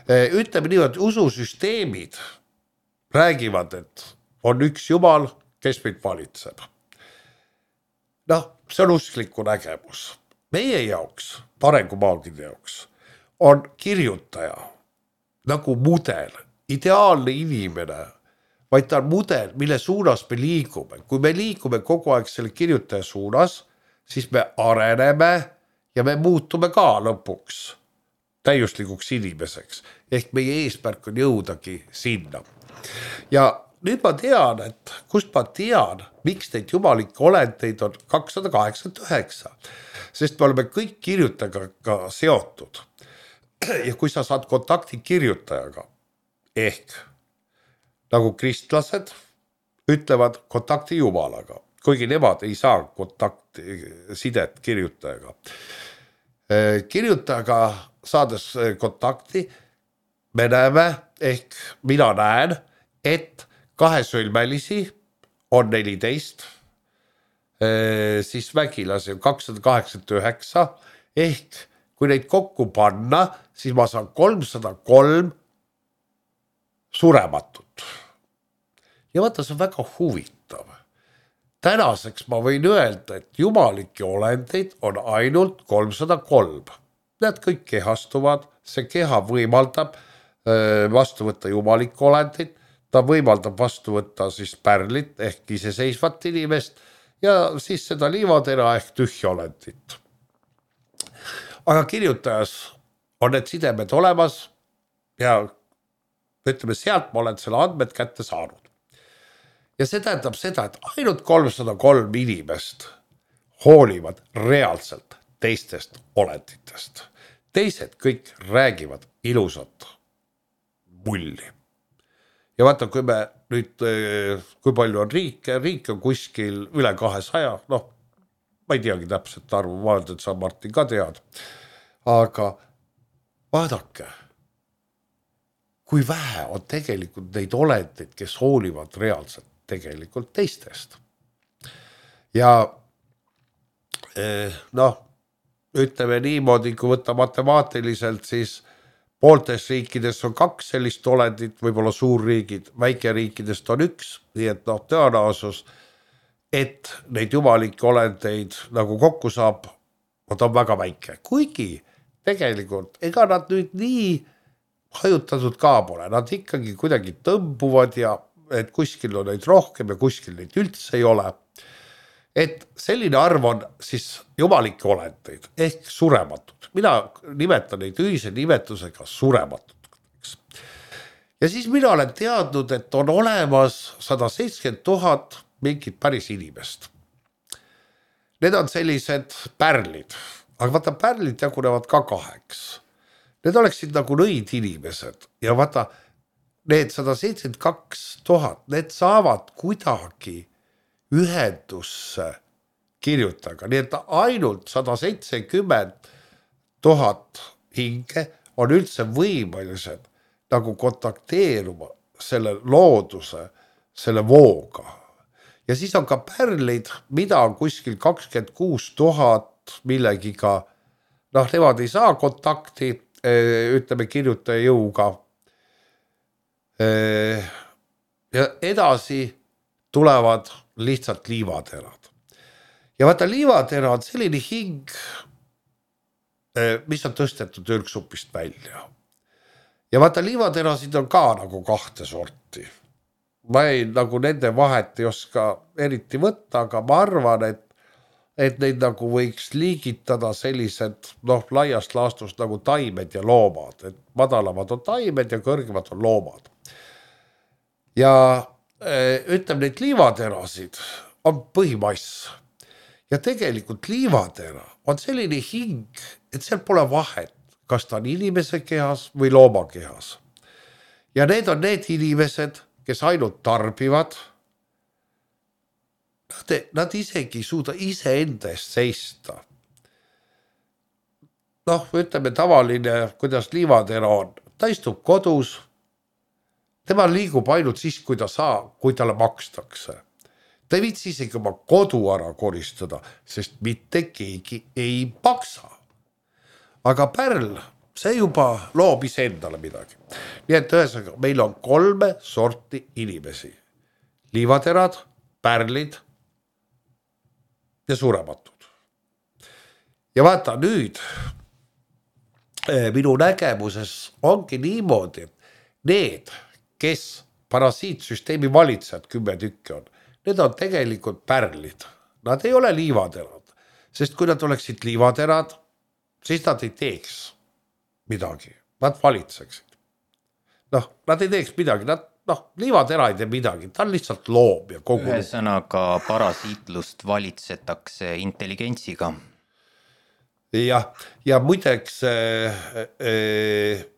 Ütleme nii, et ususüsteemid räägivad, et on üks jumal, kes meid valitseb. Noh, see on uskliku nägemus. Meie jaoks, arengumaagide jaoks, on kirjutaja nagu mudel, ideaalne inimene, vaid ta on mudel, mille suunas me liigume. Kui me liigume kogu aeg selle kirjutaja suunas, siis me areneme ja me muutume ka lõpuks täiuslikuks inimeseks. Ehk meie eesmärk on jõudagi sinna. Ja nüüd ma tean, et kust ma tean, miks neid jumalikke olendeid on 289. Sest me oleme kõik kirjutajaga seotud. Ja kui sa saad kontakti kirjutajaga, ehk nagu kristlased ütlevad kontakti jumalaga, kuigi nemad ei saa sidet kirjutajaga. Kirjutajaga saades kontakti, me näeme, ehk mina näen, et kahesõlmelisi on 14, siis vägilasi on 289, ehk kui neid kokku panna, siis ma saan 303 surematut. Ja vaata, see on väga huvitav. Tänaseks ma võin öelda, et jumalike olendeid on ainult 303. Need kõik kehastuvad, see keha võimaldab vastu võtta jumalike olendeid, ta võimaldab vastu võtta siis pärlit ehk iseseisvat inimest ja siis seda liivatera ehk tühja olendit. Aga kirjutajas on need sidemed olemas ja ütleme, sealt ma olen selle andmed kätte saanud. Ja see tähendab seda, et ainult 303 inimest hoolivad reaalselt teistest olenditest. Teised kõik räägivad ilusat mulli. Ja vaata, kui me nüüd, kui palju on riike on kuskil üle 200, noh, ma ei teagi täpselt arvu, ma olen, et sa Martin ka tead. Aga vaadake, kui vähe on tegelikult neid olendeid, kes hoolivad reaalselt tegelikult teistest. Ja noh, ütleme niimoodi, kui võtta matemaatiliselt, siis pooltes riikides on 2 sellist olendit, võib-olla suurriigid, väikeriikidest on 1, nii et noh, tõenäosus, et neid jumalikke olendeid nagu kokku saab, on väga väike. Kuigi tegelikult, ega nad nüüd nii hajutatud ka pole, nad ikkagi kuidagi tõmbuvad ja et kuskil on neid rohkem ja kuskil neid üldse ei ole. Et selline arv on siis jumalikke olendeid ehk surematud. Mina nimetan neid ühise nimetusega surematud. Ja siis mina olen teadnud, et on olemas 170 000 mingit päris inimest. Need on sellised pärlid, aga vaata, pärlid jagunevad ka 2. Need oleksid nagu nõid inimesed ja vaata, need 172 000, need saavad kuidagi ühendusse kirjutaga, nii et ainult 170 000 hinge on üldse võimelised nagu kontakteeruma selle looduse, selle vooga. Ja siis on ka pärlid, mida on kuskil 26 000 millegiga, noh, nemad ei saa kontakti, ütleme kirjutaja jõuga. Ja edasi tulevad lihtsalt liivaterad. Ja vaata, liivatera on selline hing, mis on tõstetud ürgsupist välja. Ja vaata, liivaterasid on ka nagu 2 sorti. Ma ei nagu nende vahet ei oska eriti võtta, aga ma arvan, et neid nagu võiks liigitada sellised, noh, laiast laastust nagu taimed ja loomad, et madalamad on taimed ja kõrgemad on loomad. Ja ütleme, neid liivaterasid on põhimass. Ja tegelikult liivatera on selline hing, et seal pole vahet, kas ta on inimese kehas või looma kehas. Ja need on need inimesed, kes ainult tarbivad, nad isegi suuda ise enda eest seista. Noh, ütleme tavaline, kuidas liivatera on. Ta istub kodus, tema liigub ainult siis, kui talle makstakse. Ta ei viitsi isegi oma kodu ära koristada, sest mitte keegi ei maksa. Aga pärl, see juba loob ise endale midagi. Nii et ühesõnaga, meil on 3 sorti inimesi. Liivaterad, pärlid ja surematud. Ja vaata nüüd, minu nägemuses ongi niimoodi, et need, kes parasiitsüsteemi valitsejad 10 tükki on, need on tegelikult pärlid. Nad ei ole liivaterad, sest kui nad oleksid liivaterad, siis nad ei teeks midagi, nad valitseksid. Noh, nad ei teeks midagi, liivatera ei tee midagi, ta on lihtsalt loom ja kogu. Ühesõnaga parasiitlust valitsetakse intelligentsiga. Ja muideks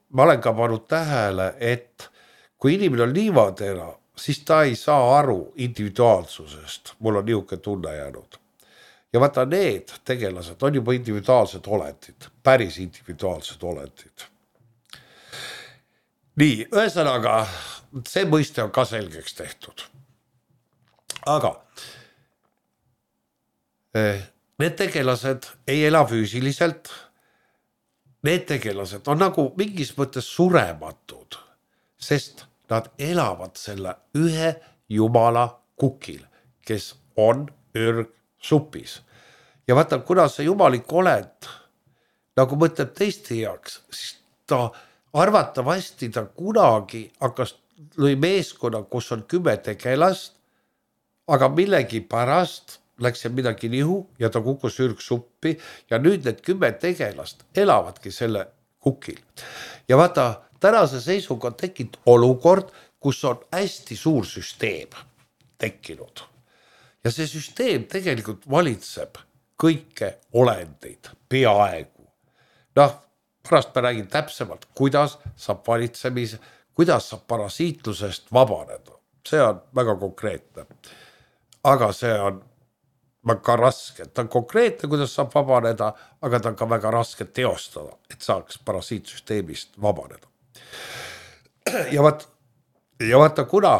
ma olen ka pannud tähele, et kui inimene on liivatera, siis ta ei saa aru individuaalsusest. Mul on niisugune tunne jäänud. Ja vaata, need tegelased on juba individuaalsed olendid, päris individuaalsed olendid. Nii, ühesõnaga, see mõiste on ka selgeks tehtud. Aga need tegelased ei ela füüsiliselt, need tegelased on nagu mingis mõttes surematud, sest nad elavad selle ühe jumala kukil, kes on ürgsupis. Ja vaata, kuna see jumalik olend nagu mõtleb teiste heaks, siis ta arvatavasti ta kunagi hakkas lõi meeskonna, kus on 10 tegelast, aga millegi pärast läks seal midagi nihu ja ta kukkus ürgsuppi ja nüüd need 10 tegelast elavadki selle kukil. Ja vaata, tänase seisuga on tekkinud olukord, kus on hästi suur süsteem tekkinud. Ja see süsteem tegelikult valitseb kõike olendeid peaaegu. Noh, pärast ma räägin täpsemalt, kuidas saab kuidas saab parasiitlusest vabaneda. See on väga konkreetne. Aga see on väga raske. Ta on konkreetne, kuidas saab vabaneda, aga ta on ka väga raske teostada, et saaks parasiitsüsteemist vabaneda. Ja vaata, kuna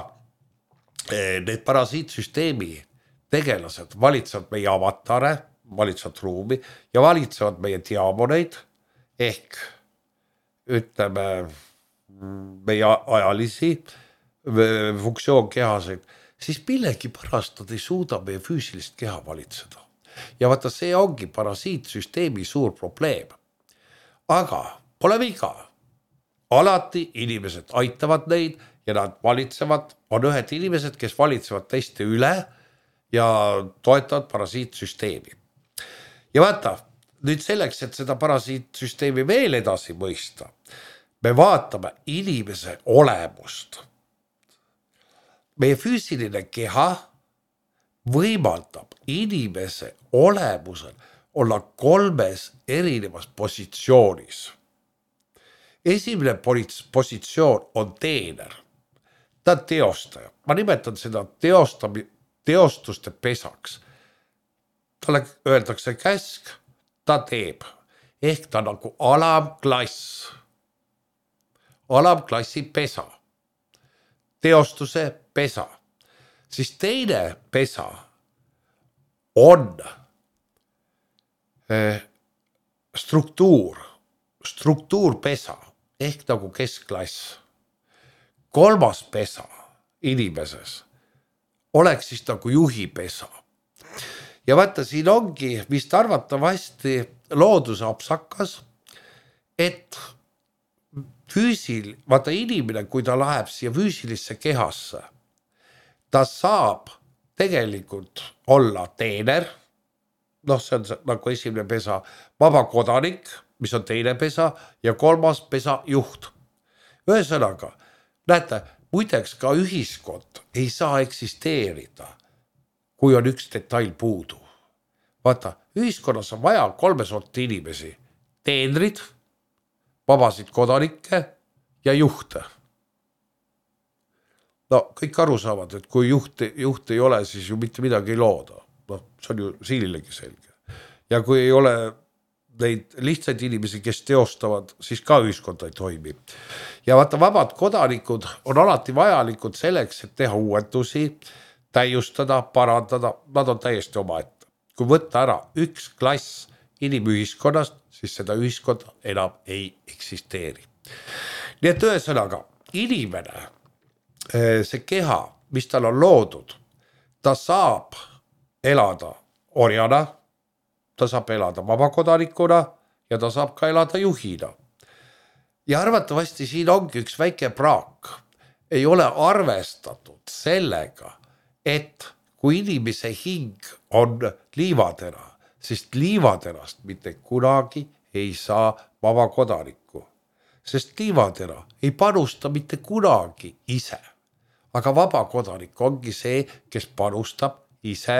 need parasiitsüsteemi tegelased valitsevad meie avatare, valitsevad ruumi ja valitsevad meie diamoneid ehk ütleme meie ajalisi funktsioonkehaseid, siis millegipärast nad ei suuda meie füüsilist keha valitseda. Ja vaata, see ongi parasiitsüsteemi suur probleem. Aga pole viga. Alati inimesed aitavad neid ja nad valitsevad, on ühed inimesed, kes valitsevad teiste üle ja toetavad parasiitsüsteemi. Ja vaata, nüüd selleks, et seda parasiitsüsteemi veel edasi mõista, me vaatame inimese olemust. Meie füüsiline keha võimaldab inimese olemusel olla 3 erinevas positsioonis. Esimene positsioon on teener. Ta on teostaja. Ma nimetan seda teostuste pesaks. Talle öeldakse käsk, ta teeb. Ehk ta nagu alamklass. Alamklassi pesa. Teostuse pesa. Siis teine pesa on struktuurpesa ehk nagu keskklass. 3. pesa inimeses oleks siis nagu juhipesa. Ja vaata, siin ongi vist arvatavasti looduse apsakas, et vaata inimene, kui ta läheb siia füüsilisse kehasse, ta saab tegelikult olla teener, see on nagu esimene pesa, vaba kodanik, mis on teine pesa ja 3. pesa juht. Ühesõnaga, näete, muideks ka ühiskond ei saa eksisteerida, kui on üks detail puudu. Vaata, ühiskonnas on vaja 3 sorti inimesi, teenrid, vabasid kodanikke ja juhte. No kõik aru saavad, et kui juht ei ole, siis ju mitte midagi ei looda. See on ju siililegi selge. Ja kui ei ole neid lihtsaid inimesi, kes teostavad, siis ka ühiskond ei toimi. Ja vaata, vabad kodanikud on alati vajalikud selleks, et teha uuendusi, täiustada, parandada, nad on täiesti omaette. Kui võtta ära üks klass inimühiskonnast, siis seda ühiskonda enam ei eksisteeri. Nii et ühesõnaga, inimene, see keha, mis tal on loodud, ta saab elada orjana, ta saab elada vabakodanikuna ja ta saab ka elada juhina. Ja arvatavasti siin ongi üks väike praak. Ei ole arvestatud sellega, et kui inimese hing on liivatera, siis liivaterast mitte kunagi ei saa vabakodanikku. Sest liivatera ei panusta mitte kunagi ise. Aga vabakodanik ongi see, kes panustab ise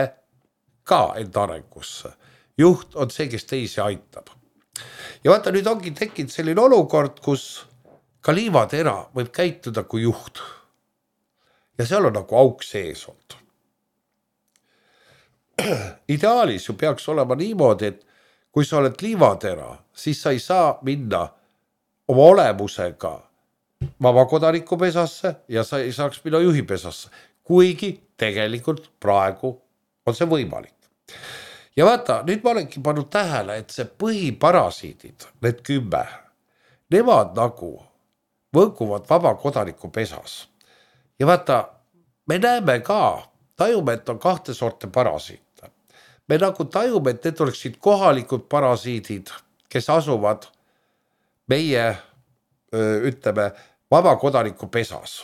ka enda arengusse. Juht on see, kes teisi aitab. Ja vaata, nüüd ongi tekkinud selline olukord, kus ka liivatera võib käituda kui juht. Ja seal on nagu auk sees olnud. Ideaalis ju peaks olema niimoodi, et kui sa oled liivatera, siis sa ei saa minna oma olemusega vabakodaniku pesasse ja sa ei saaks minna juhi pesasse, kuigi tegelikult praegu on see võimalik. Ja vaata, nüüd ma olengi pannud tähele, et see põhiparasiidid, need 10, nemad nagu võnguvad vabakodaniku pesas. Ja vaata, me näeme ka, tajume, et on 2 sorte parasiite. Me nagu tajume, et need oleksid kohalikud parasiidid, kes asuvad meie, ütleme, vabakodaniku pesas.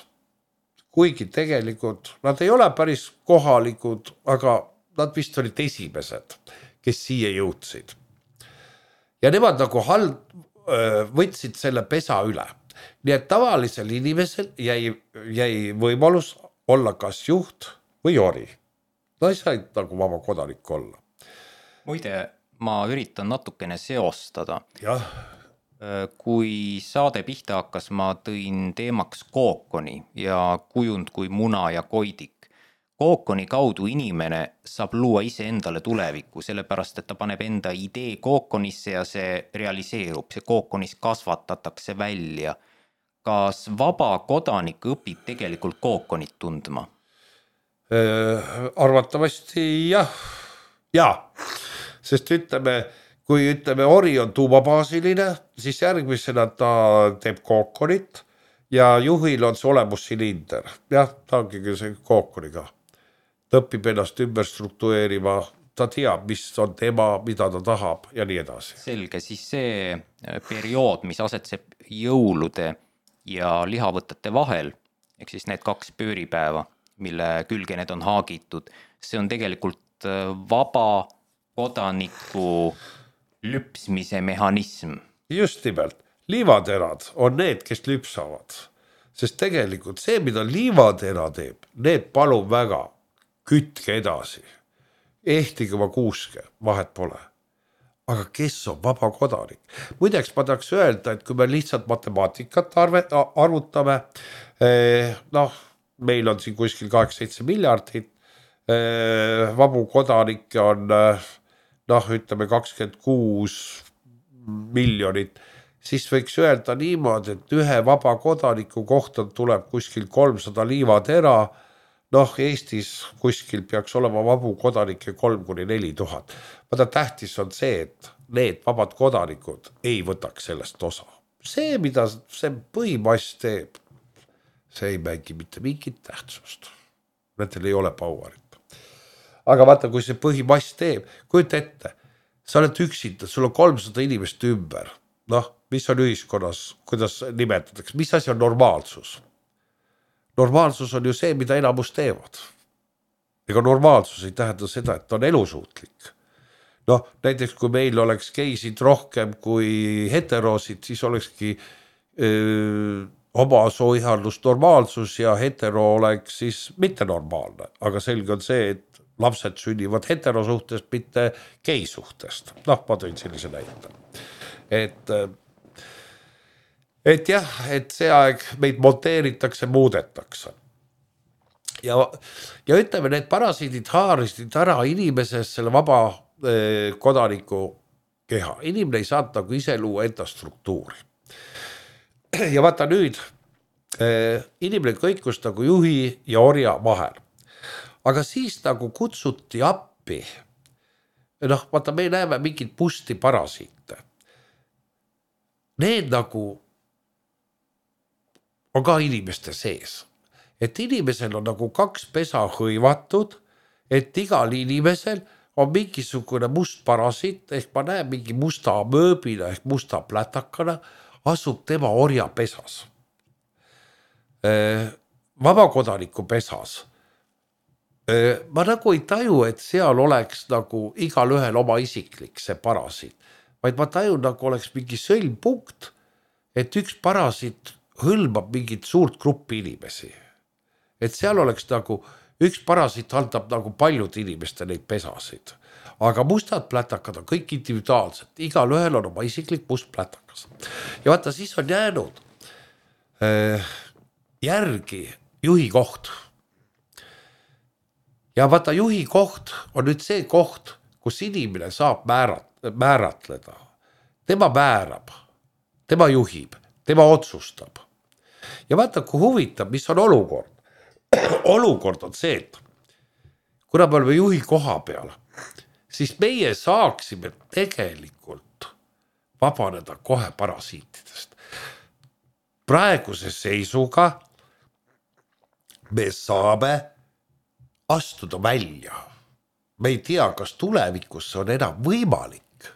Kuigi tegelikult nad ei ole päris kohalikud, aga nad vist olid esimesed, kes siia jõudsid. Ja nemad nagu võtsid selle pesa üle. Nii et tavalisel inimesel jäi võimalus olla kas juht või ori. Ta ei saanud nagu vaba kodanik olla. Muide, ma üritan natukene seostada. Jah. Kui saade pihta hakkas, ma tõin teemaks kookoni ja kujund kui muna ja koidik. Kookoni kaudu inimene saab luua ise endale tulevikku, sellepärast, et ta paneb enda idee kookonisse ja see realiseerub. See kookonis kasvatatakse välja. Kas vaba kodanik õpib tegelikult kookonit tundma? Arvatavasti jah. Sest kui ori on tuumabaasiline, siis järgmisena ta teeb kookonit ja juhil on see olemussilinder. Jah, ta ongi see kookoniga. Ta õpib ennast ümber struktureerima, ta teab, mis on tema, mida ta tahab ja nii edasi. Selge, siis see periood, mis asetseb jõulude ja lihavõtete vahel, ehk siis need 2 pööripäeva, mille külge need on haagitud, see on tegelikult vaba kodaniku lüpsmise mehhanism. Just nimelt, liivaterad on need, kes lüpsavad, sest tegelikult see, mida liivatera teeb, need palun väga, kütke edasi, ehtige oma kuuske, vahet pole. Aga kes on vaba kodanik? Muideks ma tahaks öelda, et kui me lihtsalt matemaatikat arvutame, meil on siin kuskil 8-7 miljardit, vabu kodanikke on ütleme 26 miljonit, siis võiks öelda niimoodi, et ühe vaba kodaniku kohta tuleb kuskil 300 liivatera, Eestis kuskil peaks olema vabu kodanikke 3-4 tuhat. Vaata tähtis on see, et need vabad kodanikud ei võtaks sellest osa. See, mida see põhimass teeb, see ei mängi mitte mingit tähtsust. Nendel ei ole powerit. Aga vaata, kui see põhimass teeb, kujuta ette, sa oled üksinda, sul on 300 inimest ümber. Mis on ühiskonnas, kuidas nimetatakse, mis asi on normaalsus? Normaalsus on ju see, mida enamus teevad. Ega normaalsus ei tähenda seda, et on elusuutlik. Näiteks kui meil oleks geisid rohkem kui heteroosid, siis olekski oma sooiharlus normaalsus ja hetero oleks siis mitte normaalne. Aga selge on see, et lapsed sünnivad heterosuhtest, mitte geisuhtest. Ma tõin sellise näite. Et jah, et see aeg meid monteeritakse, muudetakse. Ja ütleme, need parasiidid haarisid ära inimeses selle vaba kodaniku keha. Inimene ei saanud nagu ise luua enda struktuuri. Ja vaata nüüd, inimene kõikus nagu juhi ja orja vahel. Aga siis nagu kutsuti appi. Vaata, me näeme mingid pusti parasiite. Need nagu on ka inimeste sees. Et inimesel on nagu 2 pesa hõivatud, et igal inimesel on mingisugune must parasiit, ehk ma näen mingi musta mööbina ehk musta plätakana, asub tema orja pesas. Vabakodaniku pesas. Ma nagu ei taju, et seal oleks nagu igal ühel oma isiklik see parasiit, vaid ma taju nagu oleks mingi sõlmpunkt, et üks parasiit hõlmab mingit suurt gruppi inimesi. Et seal oleks nagu, üks parasiit haldab nagu paljud inimeste neid pesasid. Aga mustad plätakad on kõik individuaalsed. Igal ühel on oma isiklik must plätakas. Ja vaata, siis on jäänud järgi juhi koht. Ja vaata, juhi koht on nüüd see koht, kus inimene saab määratleda. Tema määrab, tema juhib, tema otsustab. Ja vaata, kui huvitab, mis on olukord. Olukord on see, et kuna me oleme juhi koha peal, siis meie saaksime tegelikult vabaneda kohe parasiitidest. Praeguse seisuga me saame astuda välja. Me ei tea, kas tulevikus see on enam võimalik.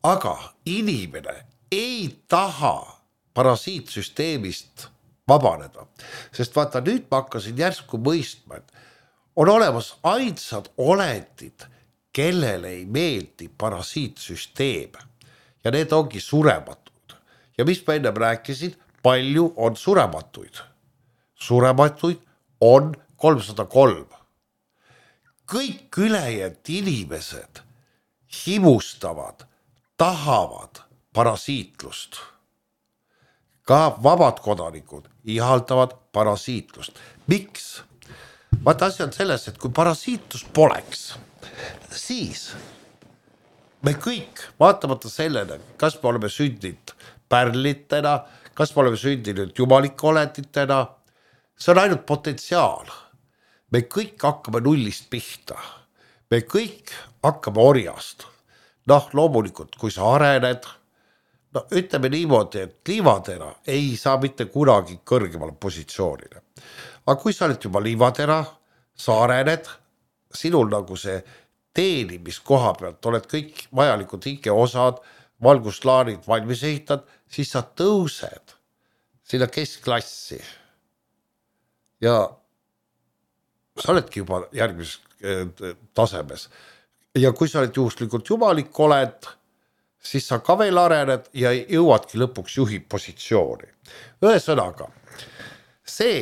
Aga inimene ei taha parasiitsüsteemist vabaneda. Sest vaata, nüüd ma hakkasin järsku mõistma, et on olemas ainsad olendid, kellele ei meeldi parasiitsüsteem. Ja need ongi surematud. Ja mis ma ennem rääkisin, palju on surematuid. Surematuid on 303. Kõik ülejäänud inimesed himustavad, tahavad parasiitlust. Ka vabad kodanikud ihaldavad parasiitlust. Miks? Vaata, asi on selles, et kui parasiitlust poleks, siis me kõik, vaatamata sellele, kas me oleme sündinud pärlitena, kas me oleme sündinud jumalike olenditena, see on ainult potentsiaal. Me kõik hakkame nullist pihta. Me kõik hakkame orjast. Noh, loomulikult, kui sa arened, no ütleme niimoodi, et liivatera ei saa mitte kunagi kõrgemale positsioonile. Aga kui sa oled juba liivatera, sa arened, sinul nagu see teenimiskoha pealt oled kõik vajalikud hingeosad, valguslaanid valmis ehitad, siis sa tõused sinna keskklassi ja sa oledki juba järgmises tasemes. Ja kui sa oled juhuslikult jumalik oled, siis sa ka veel arened ja jõuadki lõpuks juhi positsiooni. Ühesõnaga, see,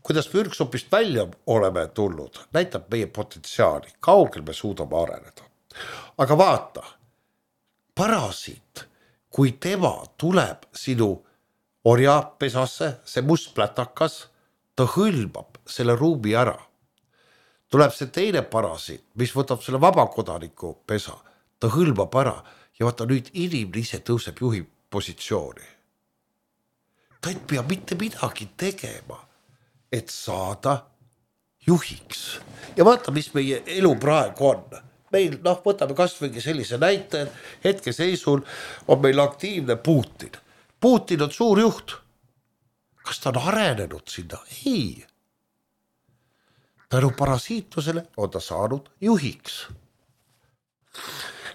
kuidas me ürgsopist välja oleme tulnud, näitab meie potentsiaali, kaugel me suudame areneda. Aga vaata, parasiit, kui tema tuleb sinu orjapesasse, see must plätakas, ta hõlmab selle ruumi ära. Tuleb see teine parasiit, mis võtab selle vabakodaniku pesa, ta hõlmab ära ja vaata nüüd inimene ise tõuseb juhi positsiooni. Ta ei pea mitte midagi tegema, et saada juhiks. Ja vaata, mis meie elu praegu on. Meil, võtame kasvõigi sellise näite, hetkeseisul on meil aktiivne Putin. Putin on suur juht. Kas ta on arenenud sinna? Ei. Tänu parasiitusele on ta saanud juhiks.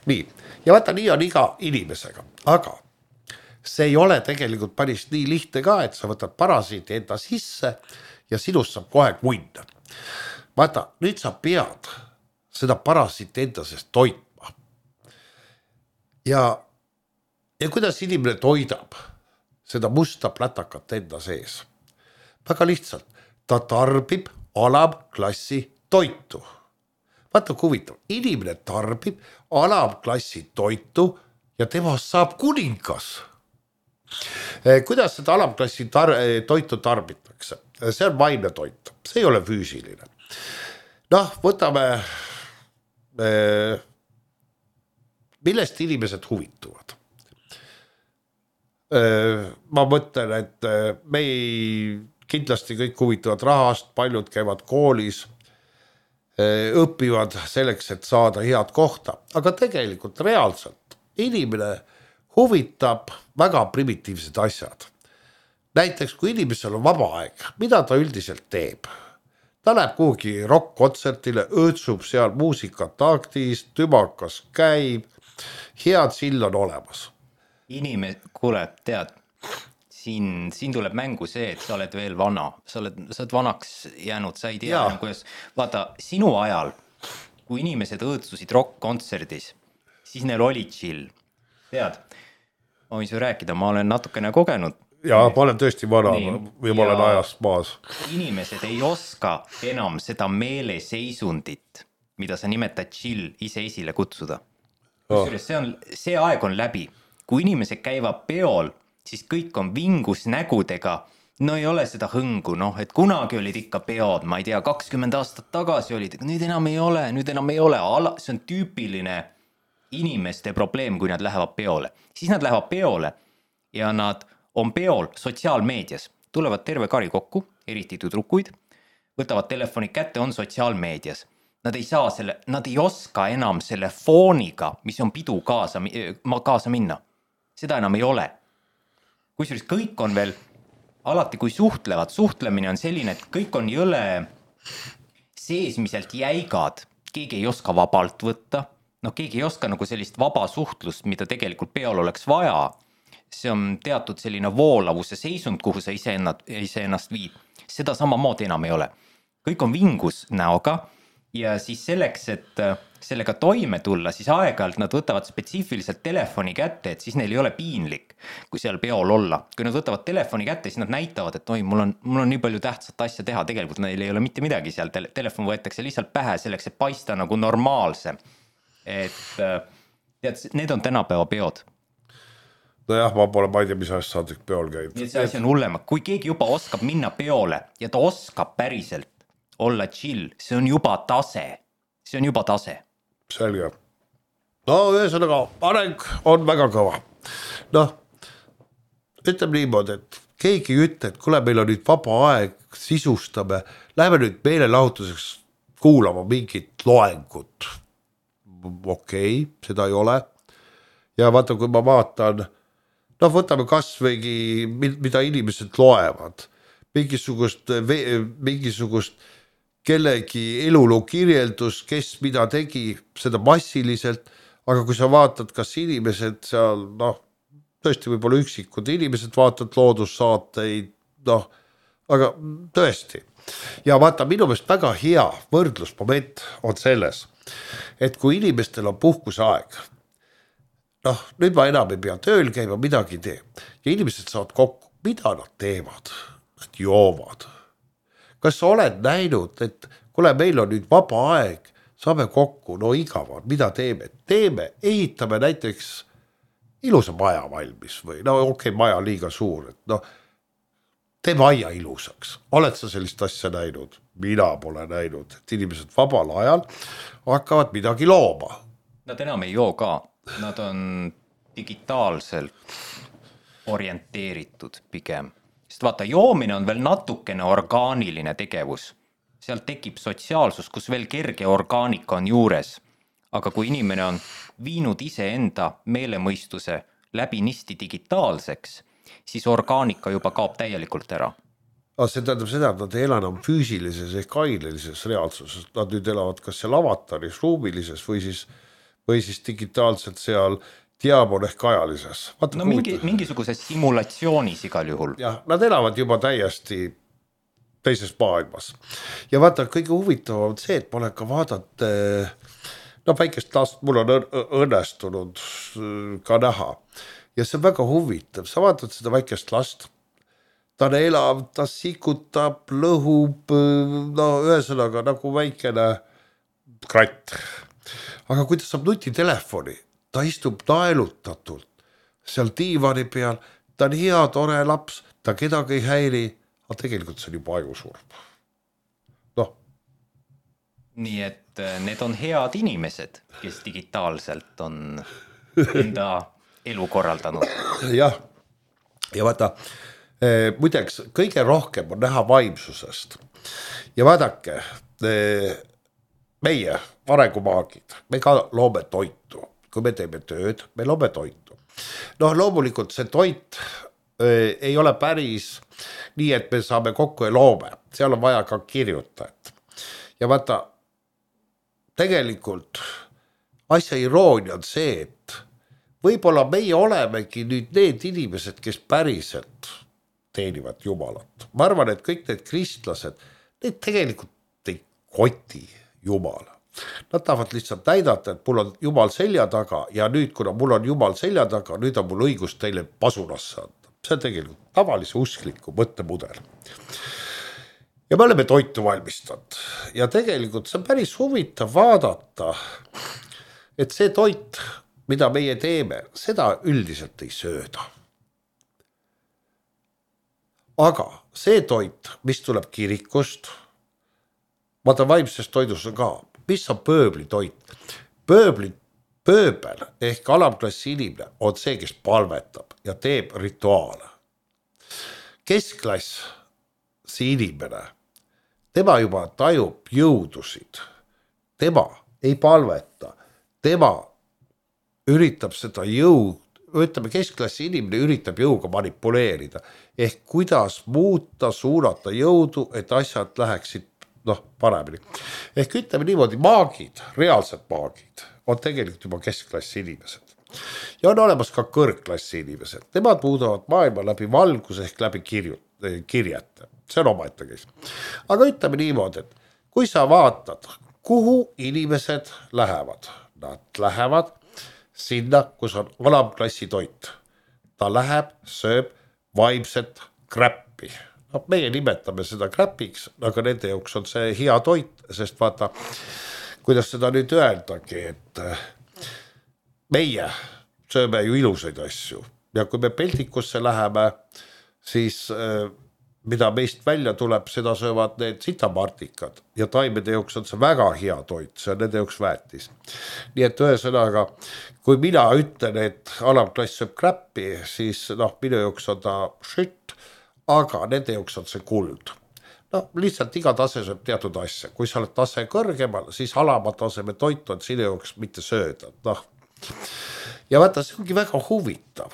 Nii, ja vaata, nii on iga inimesega, aga see ei ole tegelikult päris nii lihtne ka, et sa võtad parasiiti enda sisse ja sinust saab kohe munn. Vaata, nüüd sa pead seda parasiiti enda seest toitma. Ja kuidas inimene toidab seda musta plätakat enda sees? Väga lihtsalt, ta tarbib alamklassi toitu. Vaata, kui huvitav, inimene tarbib alamklassi toitu ja temast saab kuningas. Kuidas seda alamklassi toitu tarbitakse? See on vaimne toit, see ei ole füüsiline. Võtame, millest inimesed huvituvad. Ma mõtlen, et me kindlasti kõik huvitavad rahast, paljud käivad koolis, õpivad selleks, et saada head kohta, aga tegelikult reaalselt inimene huvitab väga primitiivsed asjad. Näiteks, kui inimesel on vaba aeg, mida ta üldiselt teeb? Ta läheb kuhugi rock-kontsertile, öötsub seal muusikat taktis, tümakas käib, head sill on olemas. Kuule, tead, siin tuleb mängu see, et sa oled veel vana, sa oled vanaks jäänud, sa ei tea, kuidas, vaata, sinu ajal, kui inimesed õõtsusid rock-kontserdis, siis neil oli chill, tead, ma võin su rääkida, ma olen natukene kogenud. Ja ma olen tõesti vana või ma olen ajast maas. Inimesed ei oska enam seda meeleseisundit, mida sa nimetad chill, ise esile kutsuda. See aeg on läbi. Kui inimesed käivad peol, siis kõik on vingus nägudega, no ei ole seda hõngu, et kunagi olid ikka peod, ma ei tea, 20 aastat tagasi olid, nüüd enam ei ole, see on tüüpiline inimeste probleem, kui nad lähevad peole. Siis nad lähevad peole ja nad on peol sotsiaalmeedias, tulevad terve kari kokku, eriti tüdrukuid, võtavad telefoni kätte, on sotsiaalmeedias. Nad ei oska enam selle fooniga, mis on pidu kaasa minna. Seda enam ei ole. Kusjuures kõik on veel, alati kui suhtlemine on selline, et kõik on jõle seesmiselt jäigad, keegi ei oska vabalt võtta, keegi ei oska nagu sellist vaba suhtlust, mida tegelikult peol oleks vaja. See on teatud selline voolavuse seisund, kuhu sa ise ennast viid. Seda samamoodi enam ei ole. Kõik on vingus näoga ja siis selleks, et sellega toime tulla, siis aeg-ajalt nad võtavad spetsiifiliselt telefoni kätte, et siis neil ei ole piinlik, kui seal peol olla. Kui nad võtavad telefoni kätte, siis nad näitavad, et mul on nii palju tähtsat asja teha, tegelikult neil ei ole mitte midagi seal, telefon võetakse lihtsalt pähe selleks, et paista nagu normaalse. Et tead, need on tänapäeva peod. Nojah, ma ei tea, mis asja saadik peol käib. See asi on hullema. Kui keegi juba oskab minna peole ja ta oskab päriselt olla chill, see on juba tase. Selge. Ühesõnaga, areng on väga kõva. Ütleme niimoodi, et keegi ei ütle, et kuule, meil on nüüd vaba aeg, sisustame, läheme nüüd meelelahutuseks kuulama mingit loengut. Okei, seda ei ole. Ja vaata, kui ma vaatan, võtame kasvõigi, mida inimesed loevad, mingisugust kellegi eluloo kirjeldus, kes mida tegi, seda massiliselt, aga kui sa vaatad, kas inimesed seal, tõesti võib-olla üksikud inimesed vaatad loodussaateid, aga tõesti. Ja vaata, minu meelest väga hea võrdlusmoment on selles, et kui inimestel on puhkuseaeg, nüüd ma enam ei pea tööl käima, midagi ei tee. Ja inimesed saavad kokku, mida nad teevad? Nad joovad. Kas sa oled näinud, et kuule, meil on nüüd vaba aeg, saame kokku, igavad, mida teeme? Teeme, ehitame näiteks ilusa maja valmis või okei, maja liiga suur, et teeme aia ilusaks. Oled sa sellist asja näinud? Mina pole näinud, et inimesed vabal ajal hakkavad midagi looma. Nad enam ei joo ka. Nad on digitaalselt orienteeritud pigem. Sest vaata, joomine on veel natukene orgaaniline tegevus. Sealt tekib sotsiaalsus, kus veel kerge orgaanika on juures. Aga kui inimene on viinud ise enda meelemõistuse läbi nisti digitaalseks, siis orgaanika juba kaob täielikult ära. See tähendab seda, et nad ei ela enam füüsilises ehk ainelises reaalsuses. Nad nüüd elavad kas seal avataris, ruumilises või siis digitaalselt seal diaabon ehk ajalises. Vaata, mingisuguses simulatsioonis igal juhul. Jah, nad elavad juba täiesti teises maailmas. Ja vaata, kõige huvitavam on see, et ma olen ka vaadanud väikest last, mul on õnnestunud ka näha. Ja see on väga huvitav. Sa vaatad seda väikest last, ta on elav, ta sikutab, lõhub, ühesõnaga nagu väikene kratt. Aga kui ta saab nutitelefoni, ta istub naelutatult seal diivani peal, ta on hea, tore laps, ta kedagi ei häiri, aga tegelikult see on juba ajusurm. Nii et need on head inimesed, kes digitaalselt on enda elu korraldanud. Jah, ja vaata, muideks kõige rohkem on näha vaimsusest. Ja vaadake, meie arengumaagid, me ka loome toitu. Kui me teeme tööd, me loome toitu. Loomulikult see toit ei ole päris nii, et me saame kokku ja loome. Seal on vaja ka kirjutajat. Ja vaata, tegelikult asja iroonia on see, et võib-olla meie olemegi nüüd need inimesed, kes päriselt teenivad Jumalat. Ma arvan, et kõik need kristlased, need tegelikult ei koti Jumala. Nad tahavad lihtsalt näidata, et mul on Jumal selja taga ja nüüd, kuna mul on Jumal selja taga, nüüd on mul õigus teile pasunasse anda. See on tegelikult tavalise uskliku mõttemudel. Ja me oleme toitu valmistanud ja tegelikult see on päris huvitav vaadata, et see toit, mida meie teeme, seda üldiselt ei sööda. Aga see toit, mis tuleb kirikust, vaata vaimsest toidus on ka, mis on pööbli toit. Pööbel ehk alamklassi inimene on see, kes palvetab ja teeb rituaale. Keskklass, see inimene, tema juba tajub jõudusid. Tema ei palveta, tema üritab seda jõud, ütleme keskklassi inimene üritab jõuga manipuleerida. Ehk kuidas muuta, suunata jõudu, et asjad läheksid paremini. Ehk ütleme niimoodi, maagid, reaalsed maagid on tegelikult juba keskklassi inimesed. Ja on olemas ka kõrgklassi inimesed. Nemad muudavad maailma läbi valguse ehk läbi kirjete. See on omaette käis. Aga ütleme niimoodi, et kui sa vaatad, kuhu inimesed lähevad, nad lähevad sinna, kus on alamklassi toit. Ta läheb, sööb vaimset kräppi. Meie nimetame seda kräpiks, aga nende jaoks on see hea toit, sest vaata, kuidas seda nüüd öeldagi, et meie sööme ju ilusaid asju. Ja kui me peltikusse läheme, siis mida meist välja tuleb, seda söövad need sitamartikad. Ja taimede jaoks on see väga hea toit, see on nende jaoks väetis. Nii et ühesõnaga, kui mina ütlen, et alamklass sööb kräppi, siis minu jaoks on ta šütt, aga nende jaoks on see kuld. No lihtsalt iga tase sööb teatud asja, kui sa oled tase kõrgemal, siis alama taseme toitu on sinu jaoks mitte sööda, noh. Ja vaata, see ongi väga huvitav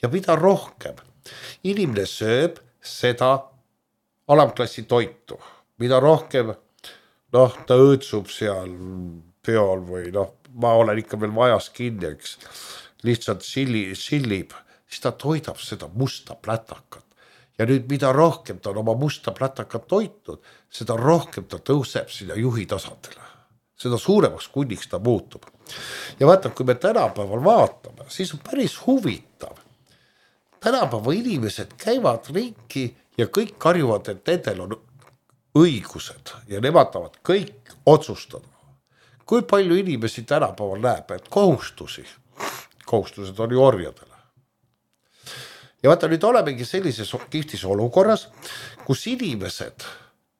ja mida rohkem inimene sööb seda alamklassi toitu, mida rohkem noh, ta õõtsub seal peol või noh, ma olen ikka veel majas kinni, eks, lihtsalt sillib, siis ta toidab seda musta plätakat. Ja nüüd mida rohkem ta on oma musta plätakat toitnud, seda rohkem ta tõuseb sinna juhi tasandile. Seda suuremaks kunniks ta muutub. Ja vaata, kui me tänapäeval vaatame, siis on päris huvitav. Tänapäeva inimesed käivad ringi ja kõik karjuvad, et nendel on õigused ja nemad tahavad kõik otsustada. Kui palju inimesi tänapäeval näeb, et kohustused on ju orjadele. Ja vaata, nüüd olemegi sellises kihtis olukorras, kus inimesed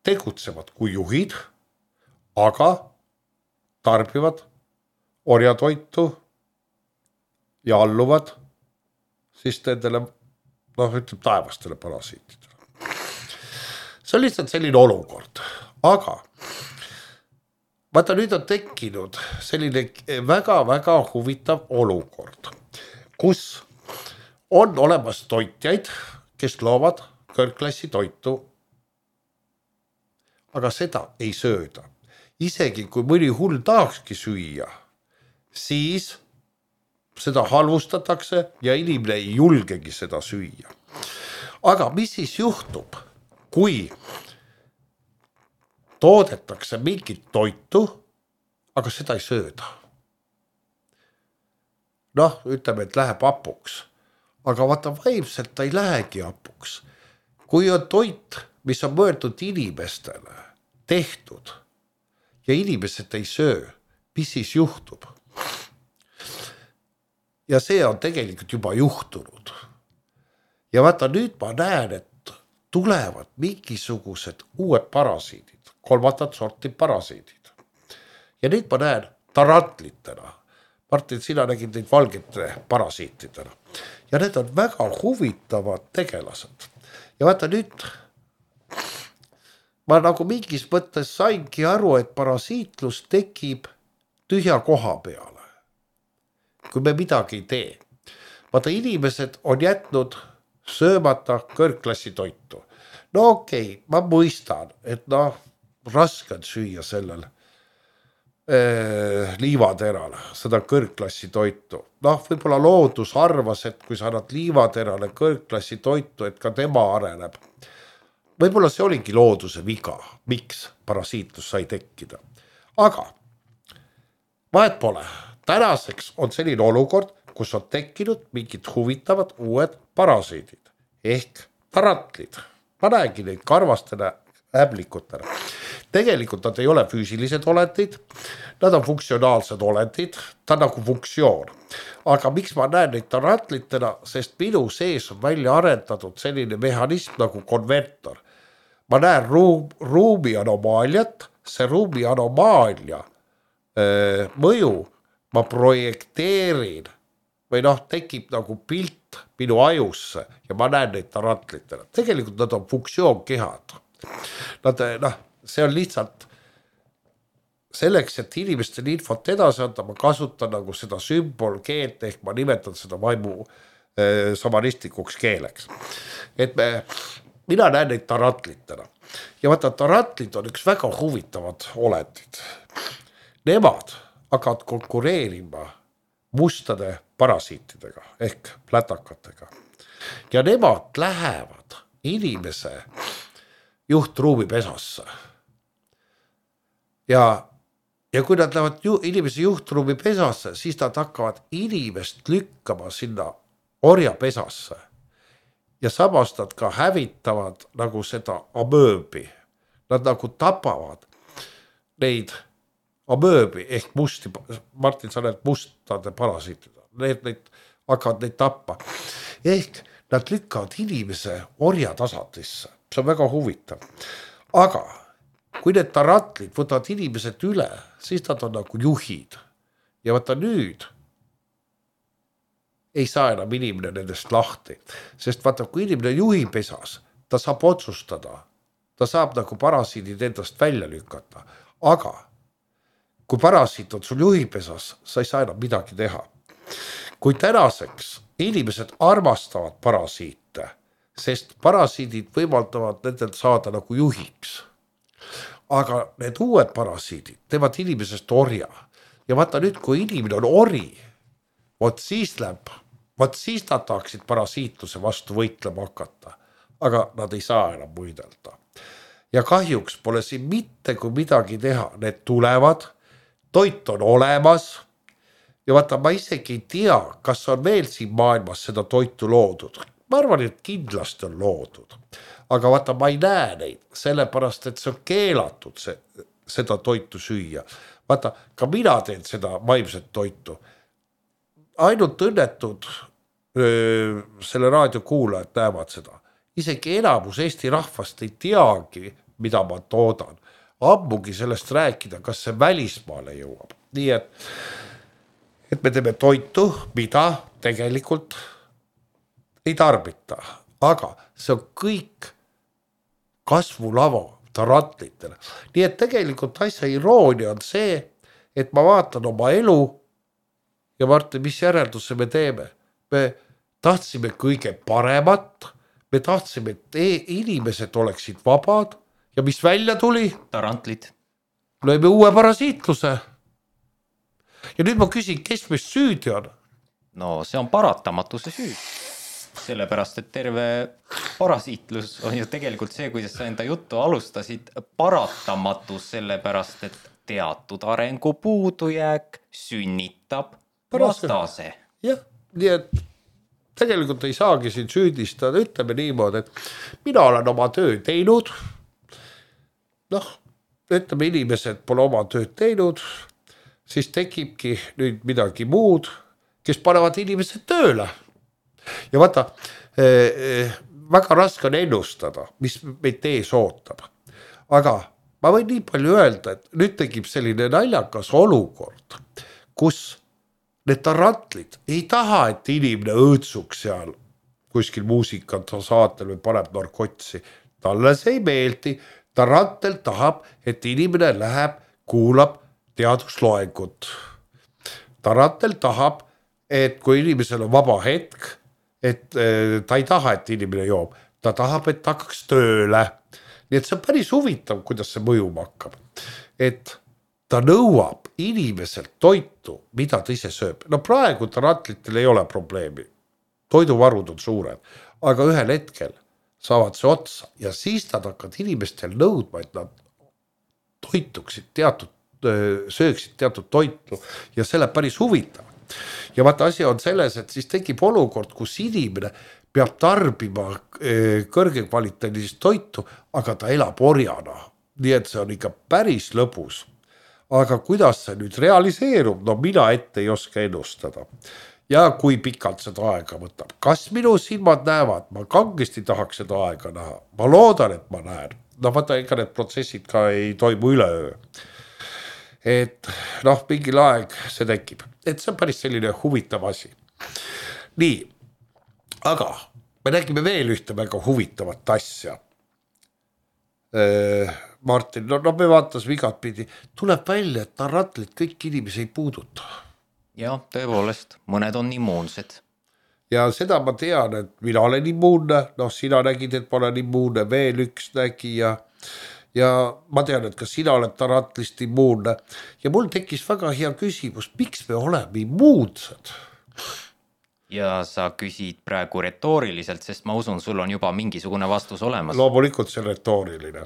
tegutsevad kui juhid, aga tarbivad orjatoitu ja alluvad siis nendele, noh, ütleb taevastele parasiitidele. See on lihtsalt selline olukord, aga vaata, nüüd on tekkinud selline väga-väga huvitav olukord, kus on olemas toitjaid, kes loovad kõrgklassi toitu, aga seda ei sööda. Isegi kui mõni hull tahakski süüa, siis seda halvustatakse ja inimene ei julgegi seda süüa. Aga mis siis juhtub, kui toodetakse mingit toitu, aga seda ei sööda? Noh, ütleme, et läheb hapuks. Aga vaata, vaimselt ta ei lähegi hapuks. Kui on toit, mis on mõeldud inimestele tehtud ja inimesed ei söö, mis siis juhtub? Ja see on tegelikult juba juhtunud. Ja vaata, nüüd ma näen, et tulevad mingisugused uued parasiidid, kolmandat sorti parasiidid. Ja nüüd ma näen tarantlitena. Martin, sina nägid neid valgete parasiitidena. Ja need on väga huvitavad tegelased. Ja vaata nüüd, ma nagu mingis mõttes saingi aru, et parasiitlus tekib tühja koha peale, kui me midagi ei tee. Vaata, inimesed on jätnud söömata kõrgklassi toitu. No okei, ma mõistan, et raske on süüa sellel liivaterale, seda kõrgklassi toitu. Võib-olla loodus arvas, et kui sa annad liivaterale kõrgklassi toitu, et ka tema areneb. Võib-olla see oligi looduse viga, miks parasiitlus sai tekkida. Aga vahet pole. Tänaseks on selline olukord, kus on tekkinud mingid huvitavad uued parasiidid ehk tarantlid. Ma näengi neid karvastele äblikutele. Tegelikult nad ei ole füüsilised olendid, nad on funktsionaalsed olendid, ta on nagu funktsioon. Aga miks ma näen neid tarantlitena, sest minu sees on välja arendatud selline mehhanism nagu konvertor. Ma näen ruumi anomaaliat, see ruumi anomaalia mõju ma projekteerin või tekib nagu pilt minu ajusse ja ma näen neid tarantlitena. Tegelikult nad on funktsioonkehad. See on lihtsalt selleks, et inimestel infot edasi anda, ma kasutan nagu seda sümbolkeelt ehk ma nimetan seda vaimu samanistlikuks keeleks. Et mina näen neid tarantlitena. Ja vaata, tarantlid on üks väga huvitavad olendid. Nemad hakkavad konkureerima mustade parasiitidega ehk plätakatega. Ja nemad lähevad inimese juhtruumi pesasse. Ja kui nad lähevad inimese juhtruumi pesasse, siis nad hakkavad inimest lükkama sinna orja pesasse. Ja samas nad ka hävitavad nagu seda amööbi. Nad nagu tapavad neid amööbi ehk musti, Martin, sa näed mustade parasiitida. Need hakkavad neid tappa. Ehk nad lükkavad inimese orja tasandisse. See on väga huvitav. Aga kui need tarantlid võtavad inimesed üle, siis nad on nagu juhid. Ja vaata nüüd ei saa enam inimene nendest lahti. Sest vaata, kui inimene juhi pesas, ta saab otsustada, ta saab nagu parasiidid endast välja lükata, aga kui parasiit on sul juhipesas, sa ei saa enam midagi teha. Kui tänaseks inimesed armastavad parasiite, sest parasiidid võimaldavad nendel saada nagu juhiks. Aga need uued parasiidid teevad inimesest orja. Ja vaata nüüd, kui inimene on ori, vot siis nad tahaksid parasiitluse vastu võitlema hakata. Aga nad ei saa enam võidelda. Ja kahjuks pole siin mitte kui midagi teha. Need tulevad, toit on olemas. Ja vaata, ma isegi ei tea, kas on veel siin maailmas seda toitu loodud. Ma arvan, et kindlasti on loodud. Aga vaata, ma ei näe neid, sellepärast, et see on keelatud seda toitu süüa. Vaata, ka mina teen seda vaimset toitu. Ainult õnnetud selle raadiokuulajad näevad seda. Isegi enamus Eesti rahvast ei teagi, mida ma toodan. Ammugi sellest rääkida, kas see välismaale jõuab. Nii et me teeme toitu, mida tegelikult ei tarbita. Aga see on kõik kasvulava tarantlitele. Nii et tegelikult asja iroonia on see, et ma vaatan oma elu ja Martin, mis järelduse me teeme? Me tahtsime kõige paremat, me tahtsime, et inimesed oleksid vabad ja mis välja tuli? Tarantlid. Lõime uue parasiitluse. Ja nüüd ma küsin, kes meist süüdi on? No see on paratamatuse süü. Sellepärast, et terve parasiitlus on ju tegelikult see, kuidas sa enda juttu alustasid, paratamatus sellepärast, et teatud arengu puudujääk sünnitab vastase. Jah, nii et tegelikult ei saagi siin süüdistada, ütleme niimoodi, et mina olen oma töö teinud, ütleme inimesed pole oma tööd teinud, siis tekibki nüüd midagi muud, kes panevad inimesed tööle. Ja vaata, väga raske on ennustada, mis meid ees ootab. Aga ma võin nii palju öelda, et nüüd tekib selline naljakas olukord, kus need tarantlid ei taha, et inimene õõtsuks seal kuskil muusikat saatel või paneb narkotsi. Talle see ei meeldi. Tarantel tahab, et inimene läheb, kuulab teadusloengut. Tarantel tahab, et kui inimesel on vaba hetk, et ta ei taha, et inimene joob. Ta tahab, et ta hakkaks tööle. Nii et see on päris huvitav, kuidas see mõjuma hakkab. Et ta nõuab inimeselt toitu, mida ta ise sööb. No praegu tarantlitel ei ole probleemi. Toiduvarud on suured. Aga ühel hetkel saavad see otsa ja siis nad hakkavad inimestel nõudma, et nad toituksid sööksid teatud toitu ja selle päris huvitav. Ja vaata, asi on selles, et siis tekib olukord, kus inimene peab tarbima kõrge kvaliteedilist toitu, aga ta elab orjana. Nii et see on ikka päris lõbus. Aga kuidas see nüüd realiseerub? No mina ette ei oska ennustada. Ja kui pikalt seda aega võtab. Kas minu silmad näevad? Ma kangesti tahaks seda aega näha. Ma loodan, et ma näen. No vaata, ega need protsessid ka ei toimu üleöö. Et mingil aeg see tekib. Et see on päris selline huvitav asi. Nii, aga me nägime veel ühte väga huvitavat asja. Martin, me vaatasime igat pidi. Tuleb välja, et tarantlid kõik inimesi ei puuduta. Ja, tõepoolest, mõned on immuunsed. Ja seda ma tean, et mina olen immuunne. Sina nägid, et ma olen immuunne, veel üks nägi ja ma tean, et ka sina oled tarantlist immuunne. Ja mul tekkis väga hea küsimus, miks me oleme immuunsed? Ja sa küsid praegu retooriliselt, sest ma usun, sul on juba mingisugune vastus olemas. Loomulikult see retooriline.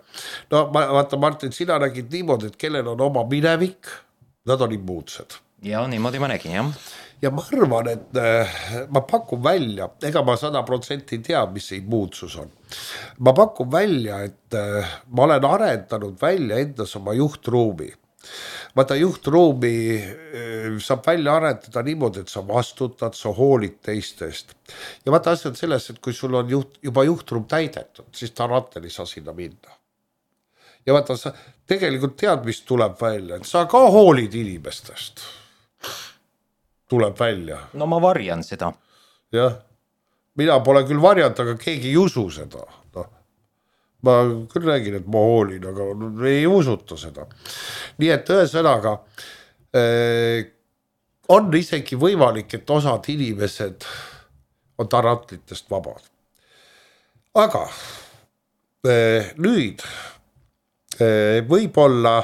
Vaata, Martin, sina nägid niimoodi, et kellel on oma minevik, nad on immuunsed. Ja niimoodi ma nägin, jah. Ja ma arvan, et ma pakun välja, ega ma 100% ei tea, mis see immuunsus on. Ma pakun välja, et ma olen arendanud välja endas oma juhtruumi. Vaata, juhtruumi saab välja arendada niimoodi, et sa vastutad, sa hoolid teistest. Ja vaata, asi on selles, et kui sul on juba juhtruum täidetud, siis tarantel ei saa sinna minna. Ja vaata, sa tegelikult tead, mis tuleb välja, et sa ka hoolid inimestest. Tuleb välja. No ma varjan seda. Jah, mina pole küll varjanud, aga keegi ei usu seda. ma küll räägin, et ma hoolin, aga ei usuta seda. Nii et ühesõnaga on isegi võimalik, et osad inimesed on tarantlitest vabad. Aga nüüd võib-olla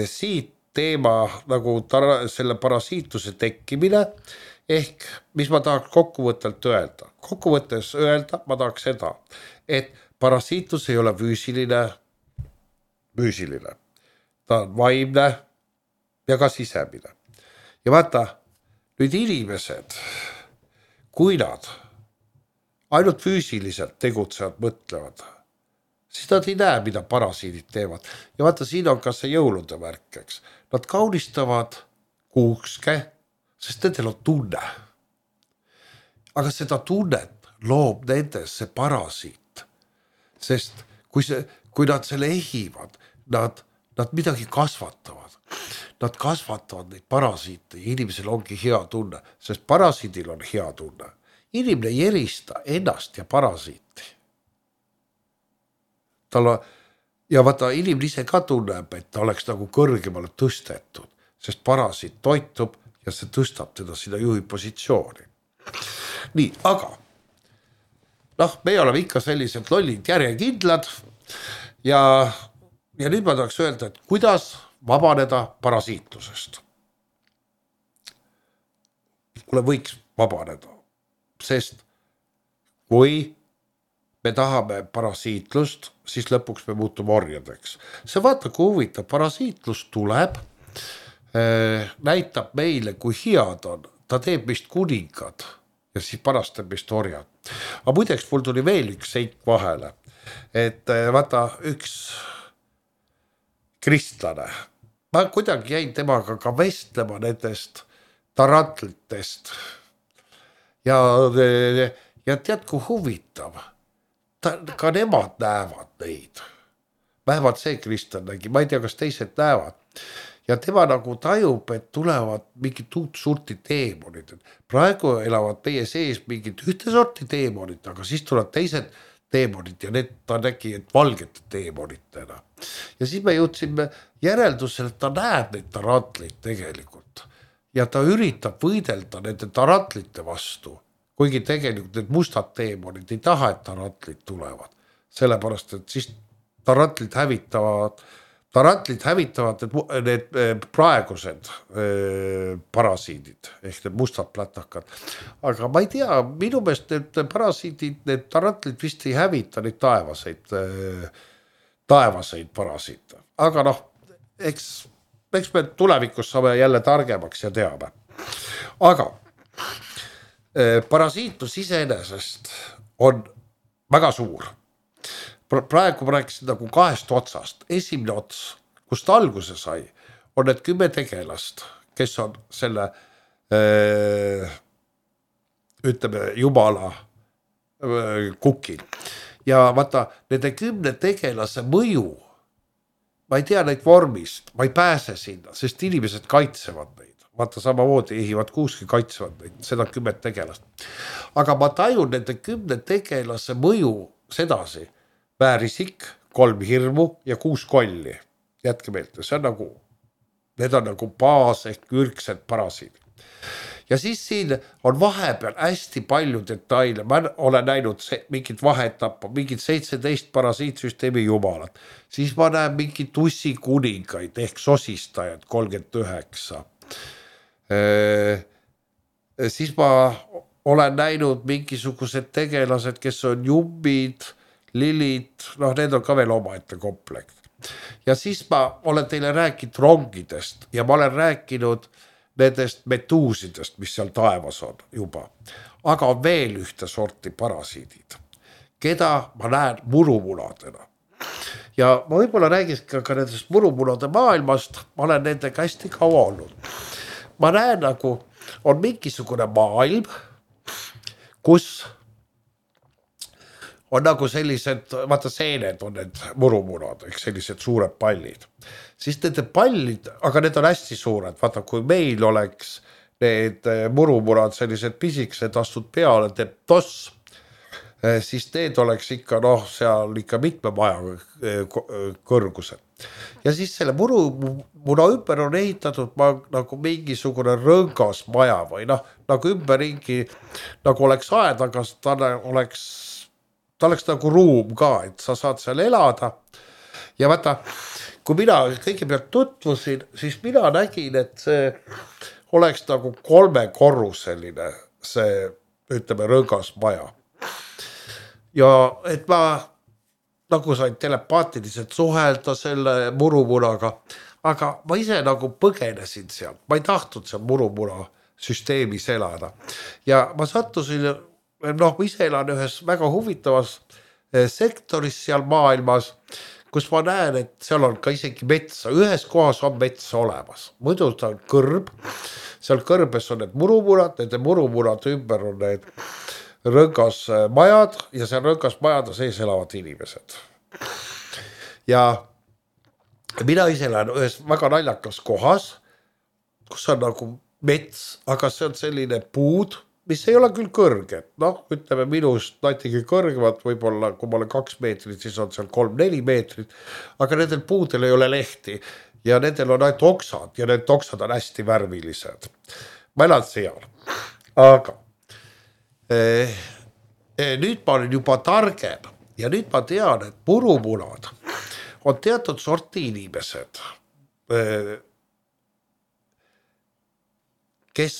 siit teema nagu selle parasiitluse tekkimine, ehk mis ma tahaks kokkuvõttelt öelda. Kokkuvõttes öelda ma tahaks seda, et parasiitlus ei ole füüsiline, ta on vaimne ja ka sisemine. Ja vaata, nüüd inimesed, kui nad ainult füüsiliselt tegutsevad, mõtlevad, siis nad ei näe, mida parasiidid teevad. Ja vaata, siin on ka see jõulude värk, eks. Nad kaunistavad kuuske, sest nendel on tunne. Aga seda tunnet loob nendes see parasiit. Sest kui nad selle ehivad, nad midagi kasvatavad. Nad kasvatavad neid parasiite ja inimesel ongi hea tunne, sest parasiidil on hea tunne. Inimene ei erista ennast ja parasiiti. Ja vaata, inimene ise ka tunneb, et ta oleks nagu kõrgemale tõstetud, sest parasiit toitub ja see tõstab teda sinna juhi positsiooni. Nii, aga me oleme ikka sellised lollid järjekindlad ja nüüd ma tahaks öelda, et kuidas vabaneda parasiitlusest. Kuule, võiks vabaneda, sest kui me tahame parasiitlust, siis lõpuks me muutume orjadeks. See vaata, kui huvitav, parasiitlus tuleb, näitab meile, kui head on. Ta teeb meist kuningad ja siis pärast teeb meist orjad. Aga muideks mul tuli veel üks seik vahele, et vaata, üks kristlane, ma kuidagi jäin temaga ka vestlema nendest tarantlitest ja tead, kui huvitav, ka nemad näevad neid. Vähemalt see kristlane nägi, ma ei tea, kas teised näevad. Ja tema nagu tajub, et tulevad mingid uut sorti teemonid. Praegu elavad meie sees mingid ühte sorti teemonid, aga siis tulevad teised teemonid ja need ta nägi, et valgete teemonitena. Ja siis me jõudsime järeldusele, et ta näeb neid tarantleid tegelikult. Ja ta üritab võidelda nende tarantlite vastu. Kuigi tegelikult need mustad teemonid ei taha, et tarantlid tulevad. Sellepärast, et siis tarantlid hävitavad need praegused parasiidid, ehk need mustad plätakad. Aga ma ei tea, minu meelest need parasiidid, need tarantlid vist ei hävita neid taevaseid parasiite. Aga eks me tulevikus saame jälle targemaks ja teame. Aga parasiitlus iseenesest on väga suur. Praegu ma rääkisin nagu kahest otsast. Esimene ots, kust alguse sai, on need 10 tegelast, kes on selle ütleme jumala kukil. Ja vaata, nende 10 tegelase mõju, ma ei tea neid vormist, ma ei pääse sinna, sest inimesed kaitsevad neid. Vaata, samamoodi ehivad kuuski kaitsevad neid, seda 10 tegelast. Aga ma tajun nende 10 tegelase mõju sedasi. Väärisik, 3 hirmu ja 6 kolli. Jätke meelde, need on nagu baas ehk ürgsed parasiidid. Ja siis siin on vahepeal hästi palju detaile. Ma olen näinud mingid vahetappa, mingid 17 parasiitsüsteemi jumalat. Siis ma näen mingid tussi kuningaid ehk sosistajad 39. Siis ma olen näinud mingisugused tegelased, kes on jummid, lilid, need on ka veel omaette komplekt. Ja siis ma olen teile rääkinud rongidest ja ma olen rääkinud nendest metuusidest, mis seal taevas on juba. Aga on veel ühte sorti parasiidid, keda ma näen murumunadena. Ja ma võib-olla räägis ka nendest murumunade maailmast, ma olen nendega hästi kaua olnud. Ma näen nagu on mingisugune maailm, kus on nagu sellised, vaata seened on need murumunad, ehk sellised suured pallid. Siis nende pallid, aga need on hästi suured, vaata kui meil oleks need murumunad sellised pisikesed, astud peale, teeb toss. siis need oleks ikka seal ikka mitme maja kõrgused. Ja siis selle murumuna ümber on ehitatud nagu mingisugune rõngas maja või nagu ümberringi nagu oleks aed, aga ta oleks nagu ruum ka, et sa saad seal elada. Ja vaata, kui mina kõigepealt tutvusin, siis mina nägin, et see oleks nagu 3-korruseline see, ütleme, rõngas maja. Ja et ma nagu sain telepaatiliselt suhelda selle murumunaga, aga ma ise nagu põgenesin seal. Ma ei tahtnud seal murumuna süsteemis elada. Ja ma sattusin, ma ise elan ühes väga huvitavas sektoris seal maailmas, kus ma näen, et seal on ka isegi metsa. Ühes kohas on metsa olemas. Muidu ta on kõrb. Seal kõrbes on need murumunad, nende murumunad ümber on need rõngas majad ja seal rõngas majade sees elavad inimesed. Ja mina ise lähen ühes väga naljakas kohas, kus on nagu mets, aga see on selline puud, mis ei ole küll kõrge. Ütleme minust natuke kõrgemad, võib-olla kui ma olen 2 meetrit, siis on seal 3-4 meetrit, aga nendel puudel ei ole lehti ja nendel on ainult oksad ja need oksad on hästi värvilised. Ma elan seal, aga nüüd ma olen juba targem ja nüüd ma tean, et murumunad on teatud sorti inimesed, kes,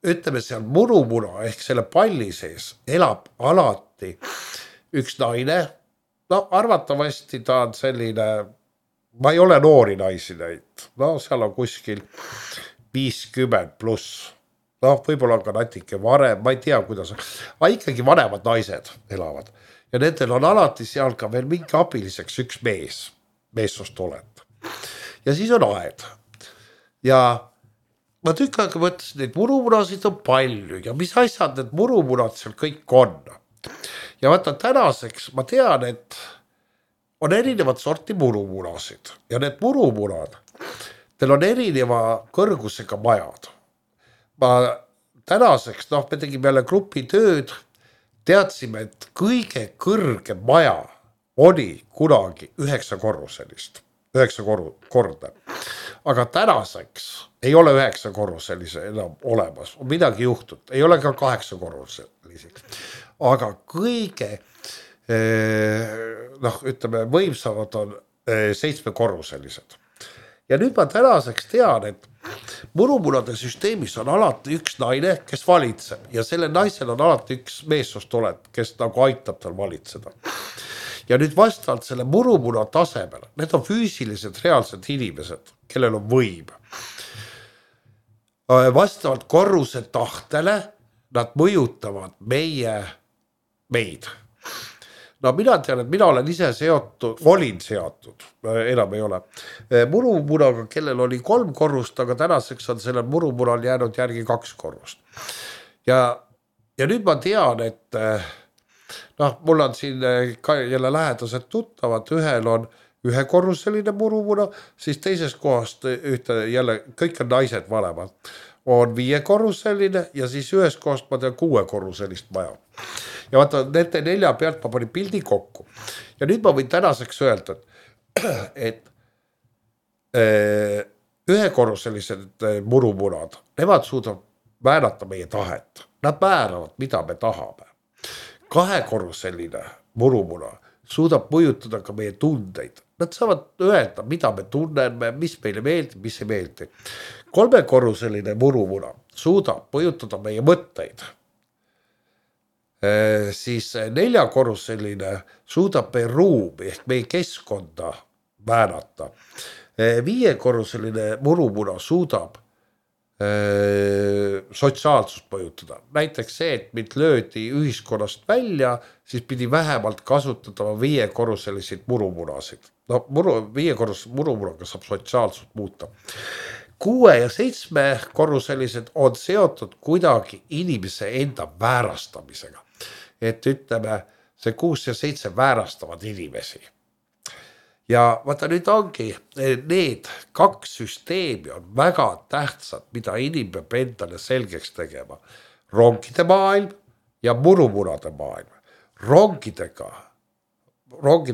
ütleme seal murumuna ehk selle palli sees elab alati üks naine. Arvatavasti ta on selline, ma ei ole noori naisi näinud, seal on kuskil 50 pluss. Võib-olla ka natuke varem, ma ei tea kuidas, aga ikkagi vanemad naised elavad. Ja nendel on alati seal ka veel mingi abiliseks üks meessoost oled. Ja siis on aed. Ja ma tükk aega mõtlesin, et murumunasid on palju ja mis asjad need murumunad seal kõik on. Ja vaata tänaseks ma tean, et on erinevad sorti murumunasid ja need murumunad, teil on erineva kõrgusega majad. Ma tänaseks, me tegime jälle grupi tööd, teadsime, et kõige kõrgem maja oli kunagi 9-korruselist, 9 korda. Aga tänaseks ei ole 9-korruselise enam olemas, on midagi juhtud, ei ole ka 8-korruseliseks. Aga kõige, ütleme, võimsamad on 7-korruselised. Ja nüüd ma tänaseks tean, et murumunade süsteemis on alati üks naine, kes valitseb ja selle naisel on alati üks meessoost oled, kes nagu aitab tal valitseda. Ja nüüd vastavalt selle murumuna tasemel, need on füüsilised reaalsed inimesed, kellel on võim. Vastavalt korruse tahtele nad mõjutavad meid. Mina tean, et mina olen ise olin seotud, enam ei ole. Murumunaga, kellel oli 3 korrust, aga tänaseks on sellel murumunal jäänud järgi 2 korrust. Ja nüüd ma tean, et mul on siin ka jälle lähedased tuttavad, ühel on 1-korruseline murumuna, siis teises kohast jälle, kõik on naised vanemad, on 5-korruseline ja siis ühes kohast ma tean 6-korruselist maja. Ja vaata, nende 4 pealt ma panin pildi kokku. Ja nüüd ma võin tänaseks öelda, et 1-korruselised murumunad, nemad suudavad määrata meie tahet. Nad määravad, mida me tahame. 2-korruseline murumuna suudab mõjutada ka meie tundeid. Nad saavad öelda, mida me tunneme, mis meile meeldib, mis ei meeldi. 3-korruseline murumuna suudab mõjutada meie mõtteid. Siis 4-korruseline suudab meie ruumi ehk meie keskkonda määrata. 5-korruseline murumuna suudab sotsiaalsust mõjutada. Näiteks see, et mind löödi ühiskonnast välja, siis pidi vähemalt kasutada 5-korruseliseid murumunasid. 5-korruselise murumunaga saab sotsiaalsust muuta. 6- ja 7-korruselised on seotud kuidagi inimese enda väärastamisega. Et ütleme, see 6 ja 7 väärastavad inimesi. Ja vaata nüüd ongi, need 2 süsteemi on väga tähtsad, mida inimene peab endale selgeks tegema. Rongide maailm ja murumunade maailm. rongide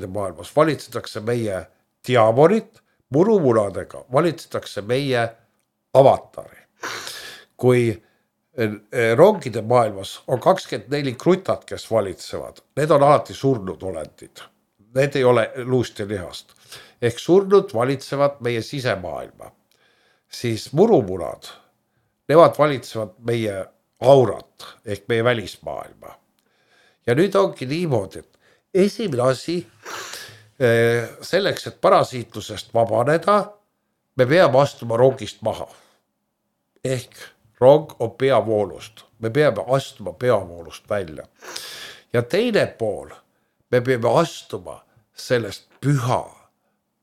maailmas valitsetakse meie diamonit, murumunadega valitsetakse meie avatari. Kui rongide maailmas on 24 krutat, kes valitsevad, need on alati surnud olendid. Need ei ole luust ja lihast. Ehk surnud valitsevad meie sisemaailma. Siis murumunad, nemad valitsevad meie aurat ehk meie välismaailma. Ja nüüd ongi niimoodi, et esimene asi selleks, et parasiitlusest vabaneda, me peame astuma rongist maha. Ehk rong on peavoolust. Me peame astuma peavoolust välja. Ja teine pool, me peame astuma sellest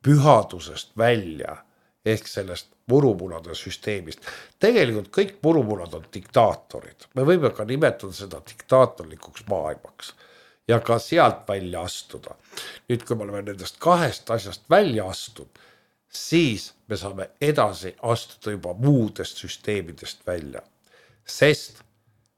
pühadusest välja, ehk sellest murumunade süsteemist. Tegelikult kõik murumunad on diktaatorid. Me võime ka nimetada seda diktaatorlikuks maailmaks ja ka sealt välja astuda. Nüüd, kui me oleme nendest kahest asjast välja astunud, siis me saame edasi astuda juba muudest süsteemidest välja. Sest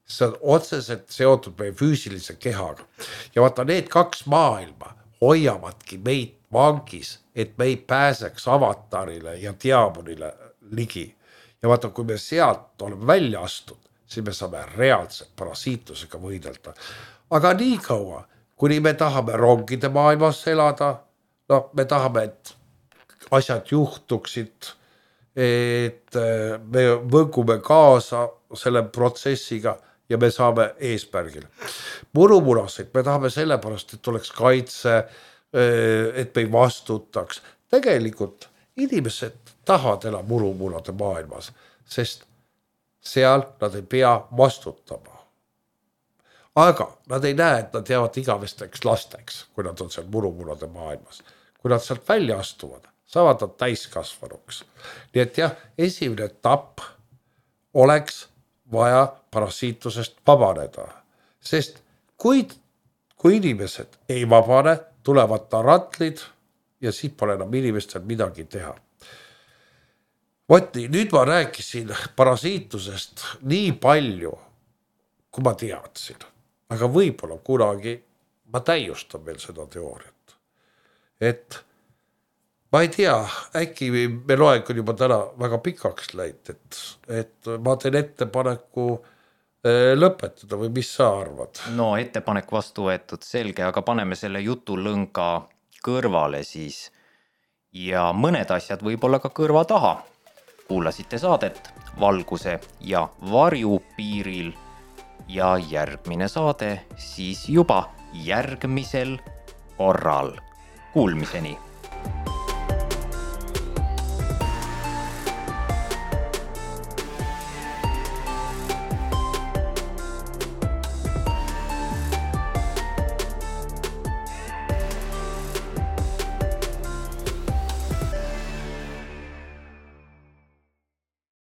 see on otseselt seotud meie füüsilise kehaga. Ja vaata, need kaks maailma hoiavadki meid vangis, et me ei pääseks avatarile ja diamonile ligi. Ja vaata, kui me sealt oleme välja astud, siis me saame reaalselt parasiitlusega võidelda. Aga nii kaua, kuni me tahame rongide maailmas elada, no me tahame, et asjad juhtuksid, et me võngume kaasa selle protsessiga ja me saame eesmärgile. Murumunasid me tahame sellepärast, et oleks kaitse, et me ei vastutaks. Tegelikult inimesed tahavad elada murumunade maailmas, sest seal nad ei pea vastutama. Aga nad ei näe, et nad jäävad igavesteks lasteks, kui nad on seal murumunade maailmas. Kui nad sealt välja astuvad, saavad nad täiskasvanuks. Nii et jah, esimene etapp oleks vaja parasiitlusest vabaneda. Sest kui inimesed ei vabane, tulevad tarantlid ja siis pole enam inimestel midagi teha. Vot nii, nüüd ma rääkisin parasiitlusest nii palju, kui ma teadsin. Aga võib-olla kunagi ma täiustan veel seda teooriat. Et ma ei tea, äkki me loeng on juba täna väga pikaks läinud, et ma teen ettepaneku lõpetada või mis sa arvad? No ettepanek vastu võetud, selge, aga paneme selle jutulõnga kõrvale siis ja mõned asjad võib-olla ka kõrva taha. Kuulasite saadet Valguse ja varju piiril ja järgmine saade siis juba järgmisel korral. Kuulmiseni!